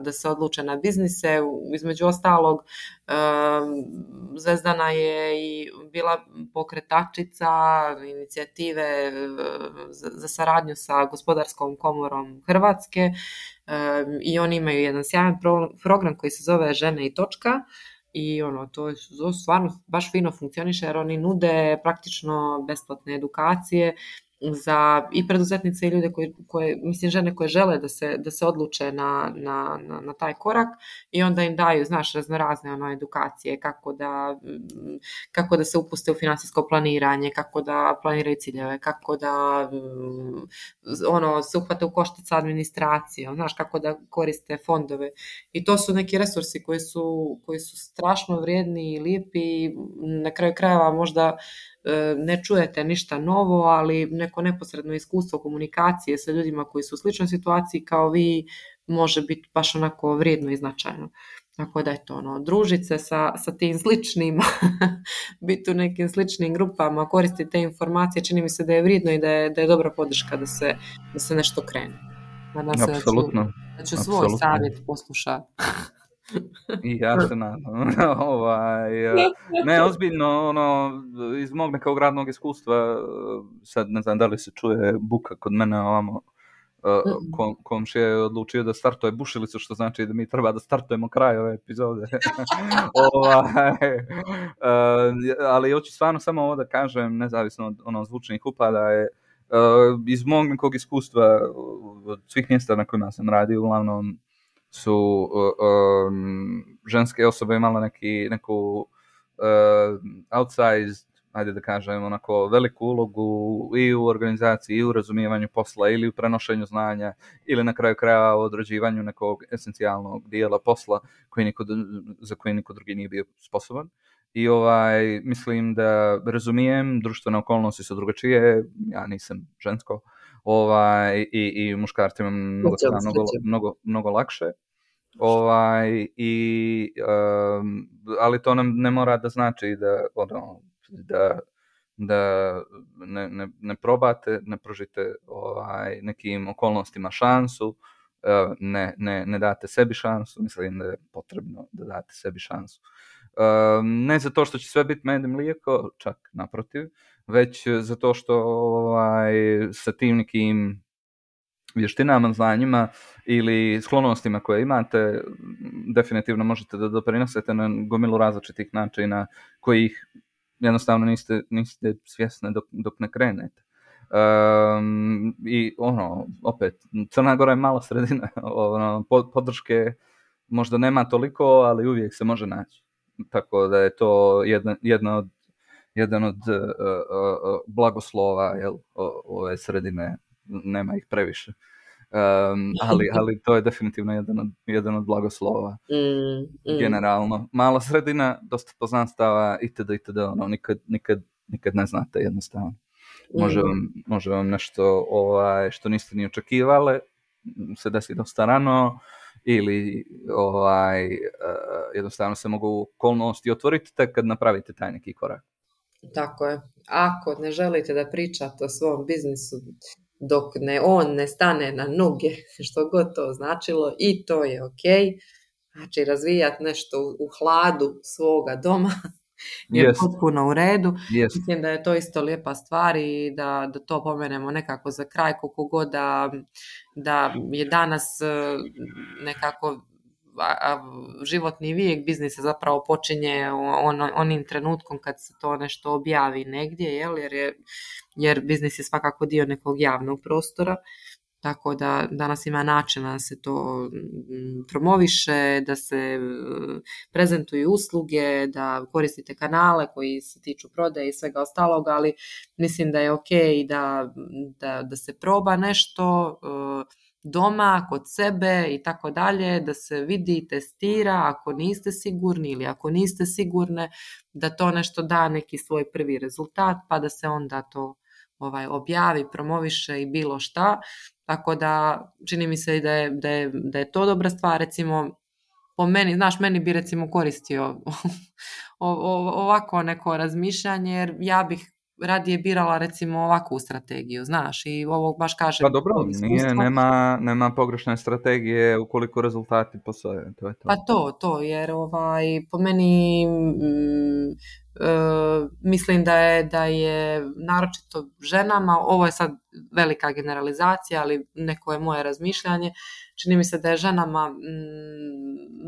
da se odluče na biznise. Između ostalog, Zvezdana je i bila pokretačica inicijative za saradnju sa Gospodarskom komorom Hrvatske i oni imaju jedan sjajan program koji se zove Žene i točka. I to stvarno baš fino funkcioniše jer oni nude praktično besplatne edukacije za i preduzetnice i ljude koje mislim žene koje žele da se odluče na taj korak i onda im daju, raznorazne edukacije kako da se upuste u financijsko planiranje, kako da planiraju ciljeve, kako da se uhvate u koštac sa administracijom, kako da koriste fondove. I to su neki resursi koji su strašno vrijedni i lijepi. Na kraju krajeva možda ne čujete ništa novo, ali neko neposredno iskustvo komunikacije sa ljudima koji su u sličnoj situaciji kao vi može biti baš onako vrijedno i značajno. Tako da je to družiti se sa tim sličnim, biti u nekim sličnim grupama, koristiti te informacije, čini mi se da je vrijedno i da je dobra podrška da se nešto krene. Nadam se da ću svoj savjet poslušati. I ja se nadam. Ne, ozbiljno, iz mog nekog radnog iskustva, sad ne znam da li se čuje buka kod mene ovamo, komšija je odlučio da startuje bušilicu, što znači da mi treba da startujemo kraj ove epizode. Ali hoću stvarno samo ovo da kažem, nezavisno od zvučnih upada, je iz mog nekog iskustva od svih mjesta na kojima sam radio, uglavnom su ženske osobe imale neku outsized, ajde da kažem, onako veliku ulogu i u organizaciji, i u razumijevanju posla, ili u prenošenju znanja, ili na kraju kraja u odrađivanju nekog esencijalnog dijela posla za koji niko drugi nije bio sposoban. I mislim da razumijem, društvene okolnosti su drugačije, ja nisam žensko, i muškarcima mnogo lakše. Ali to nam ne mora da znači da ne probate, ne pružite nekim okolnostima šansu, ne date sebi šansu. Mislim da je potrebno da date sebi šansu. Ne zato što će sve biti med i mlijeko, čak naprotiv, već zato što sa tim nekim vještinama, znanjima ili sklonostima koje imate, definitivno možete da doprinosite na gomilu različitih načina kojih jednostavno niste svjesni dok ne krenete. I opet, Crna Gora je mala sredina, podrške možda nema toliko, ali uvijek se može naći. tako da je to jedan od blagoslova, jel, ove sredine, nema ih previše. Ali to je definitivno jedan od blagoslova. Generalno. Mala sredina, dosta poznanstava, itd., ono, nikad ne znate jednostavno. Može vam nešto što niste ni očekivali, se desi dosta rano, ili jednostavno se mogu okolnosti otvoriti tek kad napravite taj neki korak. Tako je. Ako ne želite da pričate o svom biznisu dok on ne stane na noge, što god to značilo, i to je ok. Znači, razvijati nešto u hladu svoga doma je potpuno u redu. Mislim da je to isto lijepa stvar i da to pomenemo nekako za kraj, koliko god da je danas nekako životni vijek biznisa zapravo počinje onim trenutkom kad se to nešto objavi negdje, jer biznis je svakako dio nekog javnog prostora, tako da danas ima načina da se to promoviše, da se prezentuju usluge, da koristite kanale koji se tiču prodaje i svega ostalog, ali mislim da je ok da se proba nešto doma, kod sebe i tako dalje, da se vidi, testira, ako niste sigurni ili ako niste sigurne, da to nešto da neki svoj prvi rezultat, pa da se onda to objavi, promoviše i bilo šta. Tako da čini mi se da je to dobra stvar. Recimo, po meni, znaš, meni bi recimo koristio ovako neko razmišljanje, jer ja bih radije birala recimo ovakvu strategiju, znaš, i ovo baš kažem. Pa dobro, nema pogrešne strategije ukoliko rezultati postoje, to je to. Pa to, jer po meni mislim da je naročito ženama, ovo je sad velika generalizacija, ali neko je moje razmišljanje, čini mi se da je ženama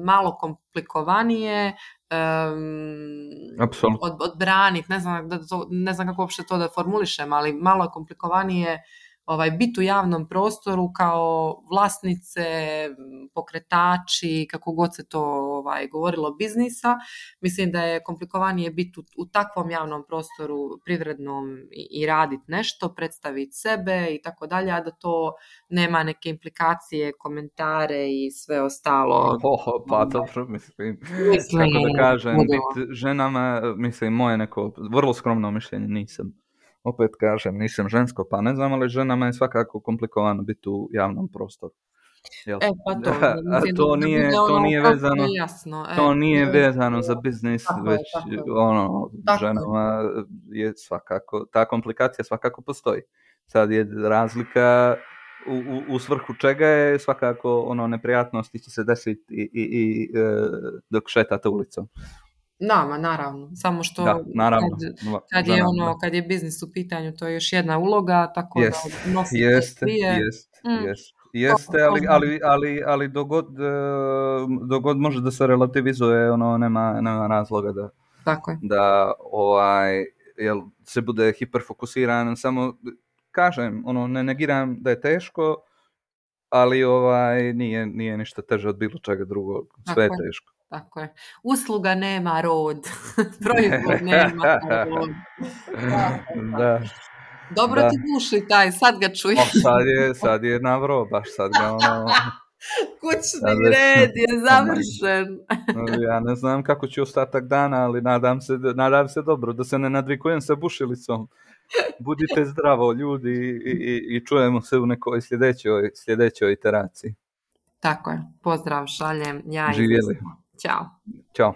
malo komplikovanije odbraniti, ne znam kako uopšte to da formulišem, ali malo je komplikovanije biti u javnom prostoru kao vlasnice, pokretači, kako god se to govorilo, biznisa. Mislim da je komplikovanije biti u takvom javnom prostoru privrednom i raditi nešto, predstaviti sebe i tako dalje, a da to nema neke implikacije, komentare i sve ostalo. Pa dobro, mislim, kako da kažem, biti ženama, mislim, moje neko vrlo skromno mišljenje, opet kažem, nisam žensko, pa ne znam, ali ženama je svakako komplikovano biti u javnom prostoru. To nije vezano, to nije vezano za biznis, već ženama je svakako, ta komplikacija svakako postoji. Sad je razlika u svrhu čega je svakako neprijatnosti će se desiti i dok šetate ulicom. Naravno, samo što kad je biznis u pitanju, to je još jedna uloga, tako da nosite svije. Jeste, ali dogod može da se relativizuje, nema razloga da se bude hiperfokusiran. Samo kažem, ne negiram da je teško, ali nije ništa teže od bilo čega drugog. Sve je teško. Tako je. Usluga nema rod. Proizvod nema rod. Da. Dobro ti duši taj, sad ga čujem. Sad je navro, baš sad ga kućni red je završen. Ja ne znam kako ću ostatak dana, ali nadam se dobro, da se ne nadvikujem sa bušilicom. Budite zdravo, ljudi, i čujemo se u nekoj sljedećoj iteraciji. Tako je. Pozdrav, šaljem. Živjeli. Ćao. Ćao.